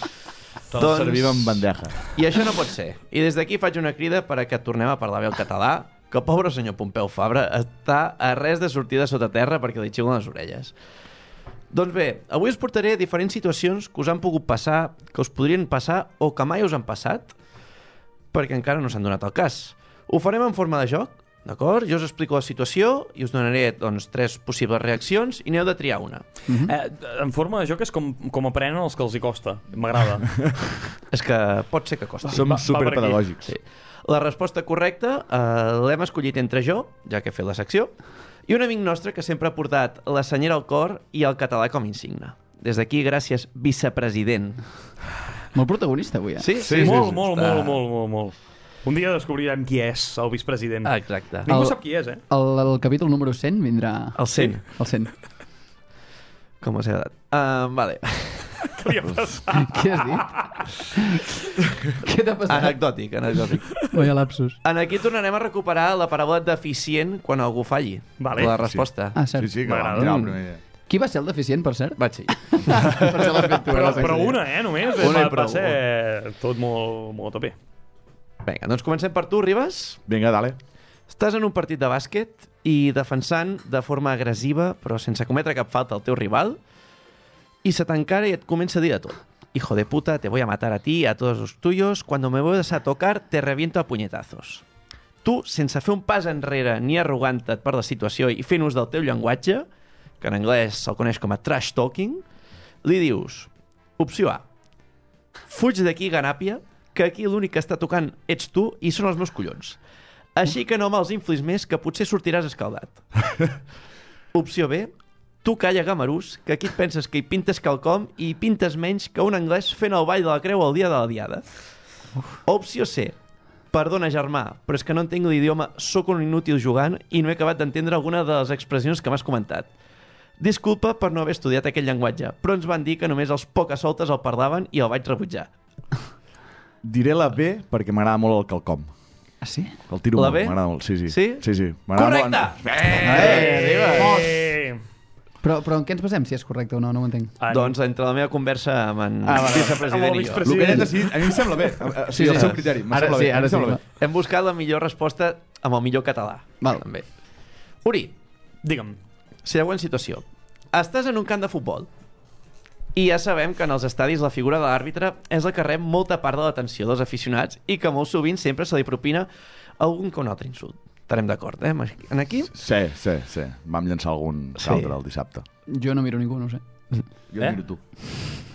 Tot doncs... servim amb bandeja. I això no pot ser. I des d'aquí faig una crida per a que tornem a parlar bé el català, que el pobre senyor Pompeu Fabra està a res de sortir de sota terra perquè li xiulen les orelles. Doncs bé, avui us portaré diferents situacions que us han pogut passar, que us podrien passar o que mai us han passat, perquè encara no s'han donat el cas. Ho farem en forma de joc, D'acord? Jo us explico la situació i us donaré doncs, tres possibles reaccions i n'heu de triar una. Mm-hmm. eh, en forma de joc és com, com aprenen els que els hi costa. M'agrada. És que pot ser que costi. Som va- va per superpedagògics. Sí. La resposta correcta eh, l'hem escollit entre jo, ja que he fet la secció, i un amic nostre que sempre ha portat la senyera al cor i el català com a insigne. Des d'aquí, gràcies, vicepresident. Molt protagonista avui, eh? Sí, Sí, molt, sí, molt, està- molt, molt, molt, molt. Un dia descobrirem qui és el vicepresident. Ah, exacte. Ningú El- sap qui és, eh? El, el capítol número cent vindrà... El cent. El cent. Com us he dat. Uh, vale. Què li ha passat? Què has dit? Què t'ha passat? Anecdòtic, anecdòtic. Vaya lapsus. En aquí tornarem a recuperar la paraula deficient quan algú falli. Vale. La resposta. Ah, cert. Sí, sí, que M'agrada. vam tirar el primer dia. Qui va ser el deficient, per cert? Vaig ser. per això l'has fet tu. Però, la secció. però una, eh, només. Una i va, va prou. ser tot molt, molt a tope. Vinga, doncs comencem per tu, Ribas. Vinga, dale. Estàs en un partit de bàsquet i defensant de forma agressiva, però sense cometre cap falta al teu rival, y se t'encara i et comença a dir de tot. Hijo de puta, te voy a matar a ti y a todos los tuyos. Cuando me vuelvas a tocar, te reviento a puñetazos. Tu, sense fer un pas enrere ni arrogant-te't per la situació i fent ús del teu llenguatge, que en anglès se'l coneix com a trash talking, li dius, opció A, fuig d'aquí, ganàpia, que aquí l'únic que està tocant ets tu i són els meus collons. Així que no me'ls inflis més, que potser sortiràs escaldat. Opció B, tu calla, gamarús, que aquí et penses que hi pintes quelcom i hi pintes menys que un anglès fent el ball de la creu el dia de la diada. Opció C, perdona, germà, però és que no entenc l'idioma, sóc un inútil jugant i no he acabat d'entendre alguna de les expressions que m'has comentat. Disculpa per no haver estudiat aquell llenguatge, però ens van dir que només els pocasoltes el parlaven i el vaig rebutjar. Diré la B perquè m'agrada molt el quelcom. Ah, sí? El tiro La molt, B? m'agrada molt. Sí, sí. Sí? Sí, sí. M'agrada Correcte! molt. Eh, Però, però en què ens basem, si és correcte o no? No ho entenc. en- Doncs entre la meva conversa amb en Ah, vale. vicepresident Amb el i jo. El que he decidit, a mi em sembla bé. O Sí, sigui, el sí. seu criteri. Em Ara sembla sí, bé. ara em sí, sembla clar. bé. Hem buscat la millor resposta amb el millor català. Val. També. Uri, Digue'm. següent situació. Estàs en un camp de futbol i ja sabem que en els estadis la figura de l'àrbitre és la que rep molta part de l'atenció dels aficionats i que molt sovint sempre se li propina algun que un altre insult. Estarem d'acord, eh? En aquí? Sí, sí, sí. Vam llançar algun Sí. caltre el dissabte. Jo no miro ningú, no ho sé. Jo Eh? eh? miro tu.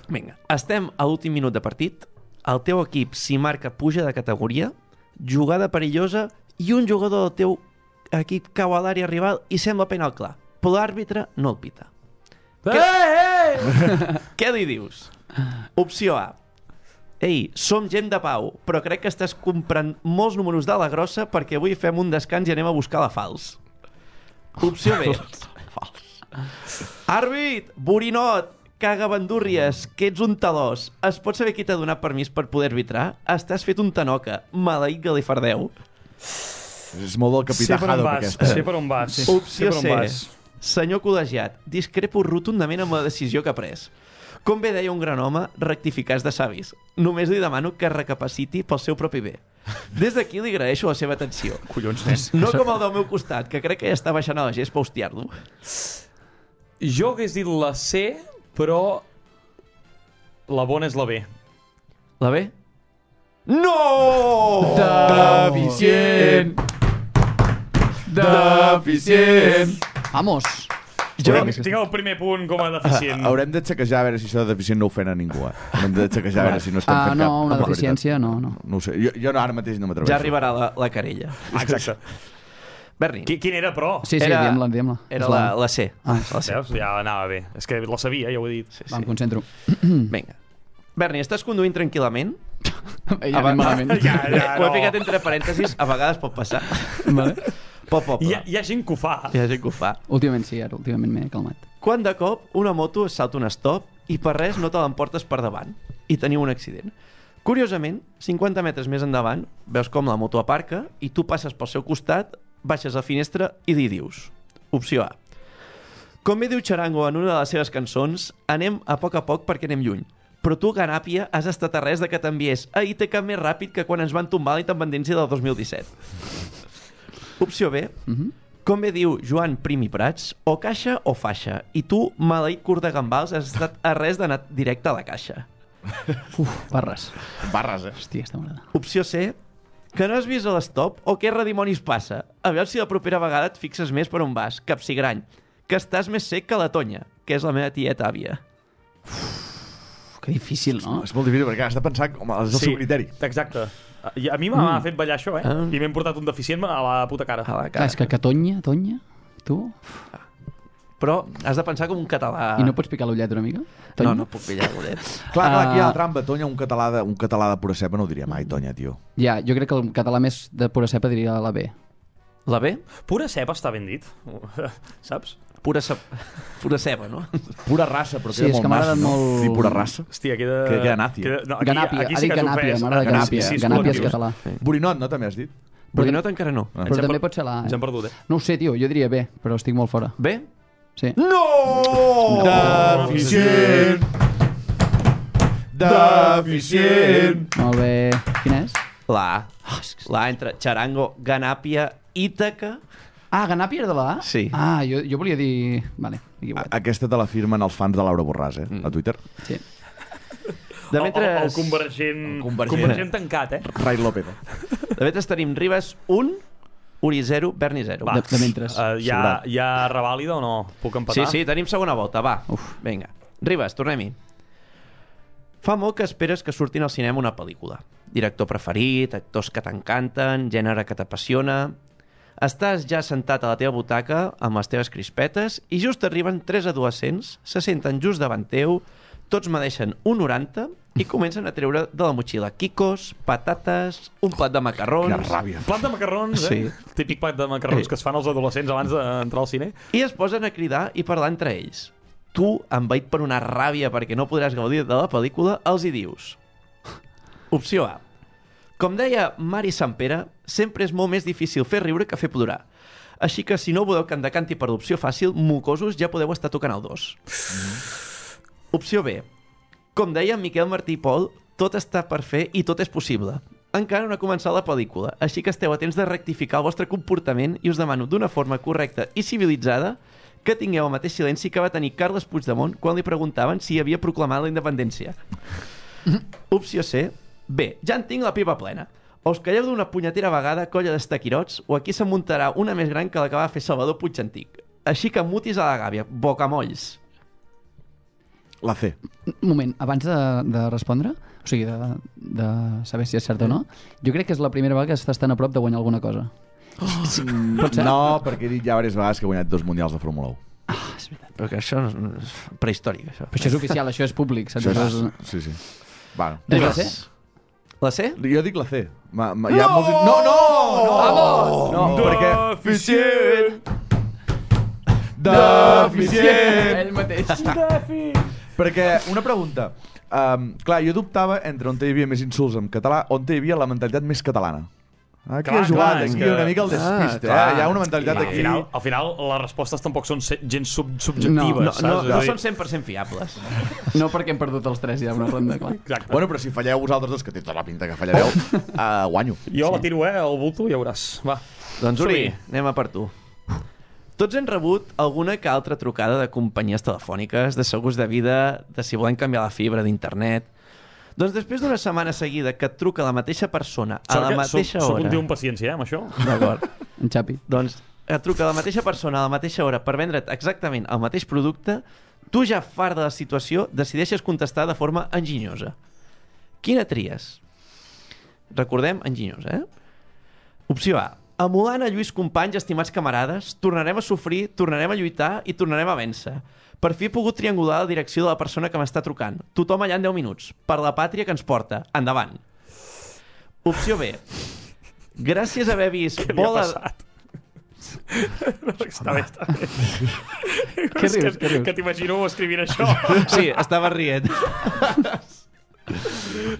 Vinga, estem a l'últim minut de partit, el teu equip s'hi marca puja de categoria, jugada perillosa i un jugador del teu equip cau a l'àrea rival i sembla penal clar, però l'àrbitre no el pita. Eh, eh! Què li dius? Opció A. Ei, som gent de pau, però crec que estàs comprant molts números de la grossa perquè avui fem un descans i anem a buscar la fals. Opció B. Àrbit, borinot, caga bandúrries, que ets un talòs. Es pot saber qui t'ha donat permís per poder arbitrar? Estàs fet un tanoca, maleït galifardeu. És molt del Sé capità per on Haddock, vas, aquesta. sé per on vas. Sé Opció per on C. vas. Senyor col·legiat, discrepo rotundament amb la decisió que ha pres. Com bé deia un gran home, rectificar és de savis. Només li demano que recapaciti pel seu propi bé. Des d'aquí li agraeixo la seva atenció. Collons, nen. No com el del meu costat, que crec que ja està baixant a la gest per hostiar-lo. Jo hagués dit la C, però la bona és la B. La B? No! Deficient! Deficient! Vamos! Jo tinc, tinc el primer punt com a deficient. Haurem de xequejar a veure si això de deficient no ofèn a ningú, eh? Haurem de xequejar a veure si no estem Ah, fent no, cap... una cap deficiència, no, no. No ho sé, jo, jo no, ara mateix no m'atreveixo. Ja arribarà la, la querella. Ah, exacte. Berni, Qui, quin era, però? Sí, sí, Era- diem-la, diem-la. era la, la C. Ah, La C. Veus? Ja anava bé. És que la sabia, ja ho he dit. Sí, va, em sí. concentro. Vinga. Berni, estàs conduint tranquil·lament? Ja anem malament. Ja, ja, Ho he no. ficat entre parèntesis, a vegades pot passar. Vale. Pot poble. Hi ha, hi ha gent que ho fa. Hi ha gent que ho fa. Últimament sí, ara últimament m'he calmat. Quan de cop una moto es salta un stop i per res no te l'emportes per davant i teniu un accident. Curiosament, cinquanta metres més endavant, veus com la moto aparca i tu passes pel seu costat, baixes la finestra i li dius. Opció A. Com bé diu Charango en una de les seves cançons, anem a poc a poc perquè anem lluny. Però tu, Ganàpia, has estat a res de que t'enviés a I T C més ràpid que quan ens van tombar la independència del dos mil disset. Opció B. Mhm. Com bé diu Joan Prim i Prats, o caixa o faixa. I tu, maleït curt de gambals, has estat a res d'anar directe a la caixa. Uf, barres. Barres, eh? Hòstia, està m'agrada. Opció C. Que no has vist a l'estop o què redimonis passa? A veure si la propera vegada et fixes més per on vas, capsigrany. Que estàs més sec que la Tonya, que és la meva tieta àvia. Que difícil, no? És molt difícil perquè has de pensar com és el Sí, seu criteri. exacte. I a mi m'ha mm. fet ballar això, eh? Ah. I m'hem portat un deficient a la puta cara. A la Clar, cara. és que que Tonya, Tonya, tu... Però has de pensar com un català... I no pots picar l'ullet una mica? Tonya? No, no puc pillar l'ullet. Clar, clar, aquí hi ha Ah. la trampa. Tonya, un català de, un català de pura cepa no ho diria mai, Tonya, tio. Ja, jo crec que el català més de pura cepa diria la B. La B? Pura cepa està ben dit, saps? Pura, ce... pura ceba, no? Pura raça, però Sí, queda és que molt m'ha nas, agradat no? molt- Dir pura raça. Hòstia, queda... Que- queda nazi. no, aquí, Ganàpia, aquí ha sí dit que has Ganàpia, ofès. m'agrada Ganàpia, Ganàpia. sis Ganàpia és col·lectius. català. Borinot, no? També has dit? Borinot encara no. Ah. Però hem també per- pot ser la A. Ens hem Eh? perdut, eh? No ho sé, tio, jo diria B, però estic molt fora. B? Sí. No! Deficient! Deficient! Molt bé. Quina és? La A. La A entre Charango, Ganàpia, Ítaca... Ah, Ganàpia era de la A? Sí. Ah, jo, jo volia dir... Vale, equivocat. Aquesta te la firmen els fans de Laura Borràs, eh? A Twitter. Sí. De mentre... El, el, convergent, El convergent. convergent tancat, eh? Rai López. De mentre tenim Ribas un, Uri zero, Berni zero. De, de mentres. Uh, hi, ha, hi ha revàlida o no? Puc Sí, empatar? sí, tenim segona volta, va. Uf. Vinga. Ribas, tornem-hi. Fa molt que esperes que surtin al cinema una pel·lícula. Director preferit, actors que t'encanten, gènere que t'apassiona... Estàs ja sentat a la teva butaca amb les teves crispetes i just arriben tres adolescents, se senten just davant teu, tots medeixen un noranta i comencen a treure de la motxilla quicos, patates, un plat de macarrons... Quina ràbia. Plat de macarrons, eh? Sí. Típic plat de macarrons Sí. que es fan els adolescents abans d'entrar al cine. I es posen a cridar i parlar entre ells. Tu, envaït per una ràbia perquè no podràs gaudir de la pel·lícula, els hi dius. Opció A. Com deia Mari Sampere, sempre és molt més difícil fer riure que fer plorar. Així que si no voleu que em decanti per l'opció fàcil, mocosos, ja podeu estar tocant el dos. Mm-hmm. Opció B. Com deia Miquel Martí i Pol, tot està per fer i tot és possible. Encara no ha començat la pel·lícula, així que esteu a temps de rectificar el vostre comportament i us demano d'una forma correcta i civilitzada que tingueu el mateix silenci que va tenir Carles Puigdemont quan li preguntaven si havia proclamat la independència. Opció C. B. Ja en tinc la pipa plena. O us calleu d'una punyetera vegada, colla d'estaquirots, o aquí se'n muntarà una més gran que la que va fer Salvador Puigantic. Així que mutis a la gàbia, bocamolls. La C. Un moment, abans de, de respondre, o sigui, de, de saber si és cert o no, jo crec que és la primera vegada que estàs tan a prop de guanyar alguna cosa. Oh, Pot ser? no, perquè he dit ja diverses vegades que he guanyat dos mundials de Fórmula u. Ah, és veritat. Però que això no és prehistòric, això. Però això és oficial, això és públic. Saps? Això Això és... Sí, sí. Bueno. És la Ribas. C? La C? Jo dic la C. Ma, ma, hi ha molts... No, no! No! Vamos! No, perquè... Deficient! Deficient! Ell mateix. Perquè, una pregunta. Um, clar, jo dubtava entre on hi havia més insults en català, on hi havia la mentalitat més catalana. Aquí Clar, ha jugat, clar, és aquí que- una mica el despiste, Ah, eh? Hi ha una mentalitat Al aquí... final, al final, les respostes tampoc són se- gens sub subjectives, No, saps? no, És no a dir- són cent per cent fiables. No perquè hem perdut els tres ja una ronda, clar. Exacte. Bueno, però si falleu vosaltres dos, que té tota la pinta que fallareu, uh, guanyo. Jo la tiro, eh, al bulto, ja veuràs. Va. Doncs Uri, Som-hi. anem a per tu. Tots hem rebut alguna que altra trucada de companyies telefòniques, de segurs de vida, de si volem canviar la fibra d'internet. Doncs després d'una setmana seguida que et truca la mateixa persona a Sort la que mateixa soc, soc hora... un tio amb paciència, eh, amb això. D'acord. En Xapi. Doncs et truca la mateixa persona a la mateixa hora per vendre't exactament el mateix producte, tu ja fart de la situació decideixes contestar de forma enginyosa. Quina tries? Recordem, enginyosa, eh? Opció A. Emulant a Lluís Companys, estimats camarades, tornarem a sofrir, tornarem a lluitar i tornarem a vèncer. Per fi he pogut triangular la direcció de la persona que m'està trucant. Tothom allà en deu minuts. Per la pàtria que ens porta. Endavant. Opció B. Gràcies a haver vist Què li ha bola... passat? No, està bé, està bé. Què És rius, que, què rius? que t'imagino escrivint això. Sí, estava rient.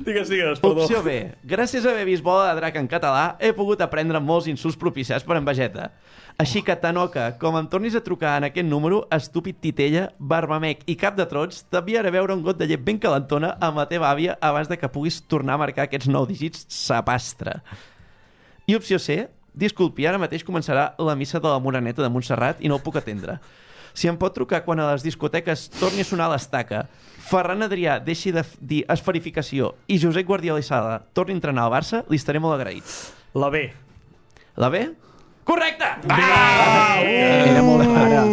Digues, digues, perdó. Opció B. Gràcies a haver vist Bola de Drac en català, he pogut aprendre molts insults propiciats per en Vegeta. Així que, Tanoca, com em tornis a trucar en aquest número, estúpid titella, barbamec i cap de trots, t'enviaré a veure un got de llet ben calentona amb la teva àvia abans de que puguis tornar a marcar aquests nou dígits sapastre. I opció C. Disculpi, ara mateix començarà la missa de la Moreneta de Montserrat i no el puc atendre. Si em pot trucar quan a les discoteques torni a sonar l'estaca, Ferran Adrià deixi de dir esferificació i Josep Guardiola i Sala torni a entrenar al Barça, li estaré molt agraït. La B. La B? Correcte! Ah! Era molt clara.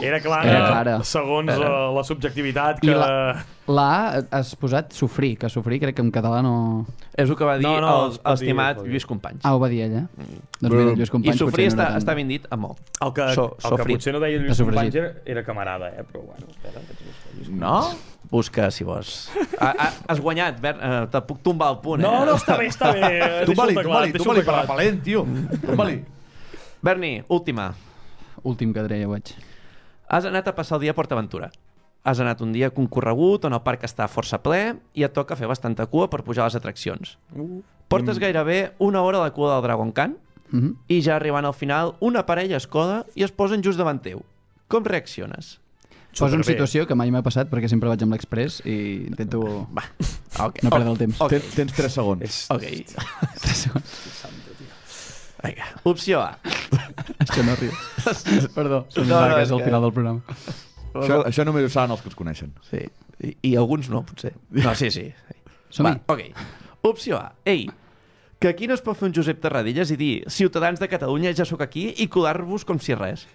Era clara, Era clara. segons uh, la subjectivitat I que... la, la A has posat sofrir, que sofrir crec que en català no... És el que va dir No, no, el- es pot dir, l'estimat es pot dir. Lluís Companys. Ah, ho va dir ella. Doncs mira, Lluís I Companys sofrir potser no està, era tan- està ben dit a molt. El que, So- el que sofrit. potser no deia De Lluís sofregit. Companys era, era camarada, eh? Però bueno, espera. Lluís No? Busca, si vols. Ha, ha, has guanyat, Bert. Uh, te puc tombar el punt, eh? No, no, està bé, està bé. Tomba-li, Deixa-ho tomba-li, teclat, tomba-li, deixa-ho per teclat. repel·lent, tio. Tomba-li. Berni, última. Últim que diré, ja ho veig. Has anat a passar el dia a PortAventura. Has anat un dia concorregut on el parc està força ple i et toca fer bastanta cua per pujar a les atraccions. Portes gairebé una hora a la cua del Dragon Khan Mhm. i ja arribant al final una parella es coda i es posen just davant teu. Com reacciones? Poso en Superbé. situació que mai m'ha passat perquè sempre vaig amb l'Express i intento Va. Okay. no perdre el temps. Ok. Ten, tens tres segons. Ok. Vinga. Opció A. Això no riu. Perdó, se'm No, va no, que és és el que- final del programa. Això, això només ho saben els que els coneixen. Sí. I, I alguns no, potser. No, sí, sí. Som-hi. Va, ok. Opció A. Ei, que aquí no es pot fer un Josep Terradellas i dir ciutadans de Catalunya, ja sóc aquí, i colar-vos com si res.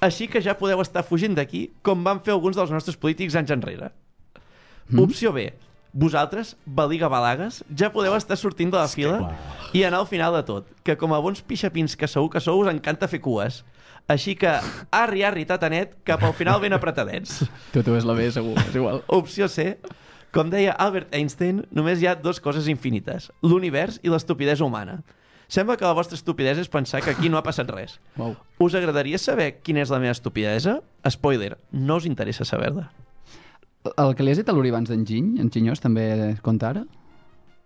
Així que ja podeu estar fugint d'aquí com van fer alguns dels nostres polítics anys enrere. Mm. Opció B. Vosaltres, baliga balagues, ja podeu estar sortint de la fila i anar al final de tot, que com a bons pixapins que sou que sou us encanta fer cues. Així que, arri, arri, tatanet, cap al final ben apretadets. Tu, tu és la B, segur, és igual. Opció C. Com deia Albert Einstein, només hi ha dues coses infinites, l'univers i l'estupidesa humana. Sembla que la vostra estupidesa és pensar que aquí no ha passat res. Uau. Us agradaria saber quina és la meva estupidesa? Spoiler, no us interessa saber-la. El que li has dit a l'Uri abans d'enginy, enginyós, també compta ara?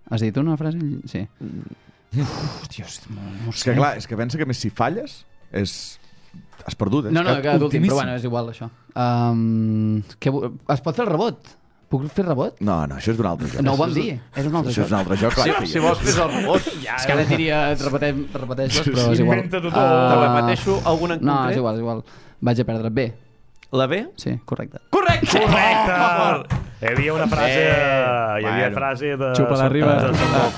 Has dit una frase? Sí. Uf, Dios, no, no ho És sé. que clar, és que pensa que més si falles és... Has perdut, eh? No, no, És que d'últim, ultimíssim. però bueno, és igual, això. Um, que, vo- es pot fer el rebot? Puc fer rebot? No, no, això és d'un altre joc. No ho vam dir. És un altre Això és un altre joc, clar. Si, que si ja- vols fes el rebot, És que ara et diria, et repetem, repeteix-les, però és igual. Inventa-t'ho tot. Ah, te repeteixo alguna en No, concret? és igual, és igual. Vaig a perdre. B. La B? Sí, correcte. Correcte! Correcte! Hi havia una frase... Eh, hi havia bueno. frase de... Xupa la riba. de- de- de-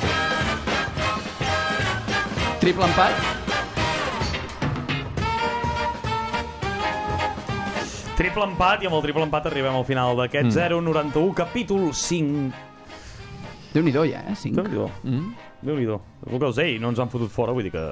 Triple empat. Triple empat, i amb el triple empat arribem al final d'aquest zero noranta-u, capítol cinc. Déu-n'hi-do, ja, eh? cinc. Déu-n'hi-do. Mm? Déu-n'hi-do. El que us deia, no ens han fotut fora, vull dir que...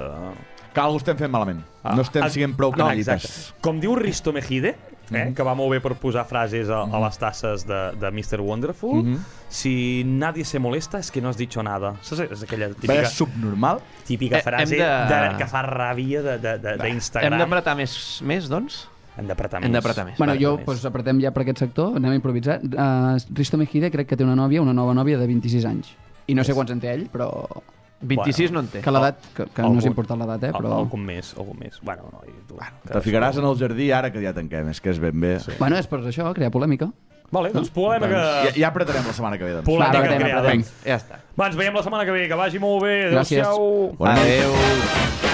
Que algú estem fent malament. No estem Ah, sent prou no, canallites. exacte. Com diu Risto Mejide, eh, que va molt bé per posar frases a, a les tasses de, de mister Wonderful, si nadie se molesta es que no has dicho nada. Saps? És aquella típica, Vaya subnormal. típica Eh, frase hem de- de... que fa ràbia de- de- de- d'Instagram. Hem d'apretar més, més, doncs? Hem d'apretar més. Hem d'apretar més. Bueno, Vale, jo, més. doncs, apretem ja per aquest sector, anem a improvisar. Uh, Risto Mejide crec que té una nòvia, una nova nòvia de vint-i-sis anys. I no sé quants en té ell, però... vint-i-sis no en té. Que l'edat, que, que no Algun- és important l'edat, eh, però... Al, algun més, algun més. Bueno, no, i tu, Te ficaràs en el jardí ara que ja tanquem. És que és ben bé. Sí. Bueno, és per això, crear polèmica. Vale, doncs polèmica... Ja, ja apretarem la setmana que ve. Doncs. Polèmica Va, apretem, creada. apretem. Ja està. Va, ens veiem la setmana que ve. Que vagi molt bé. Gràcies. Adéu-siau. Bona nit. Adéu.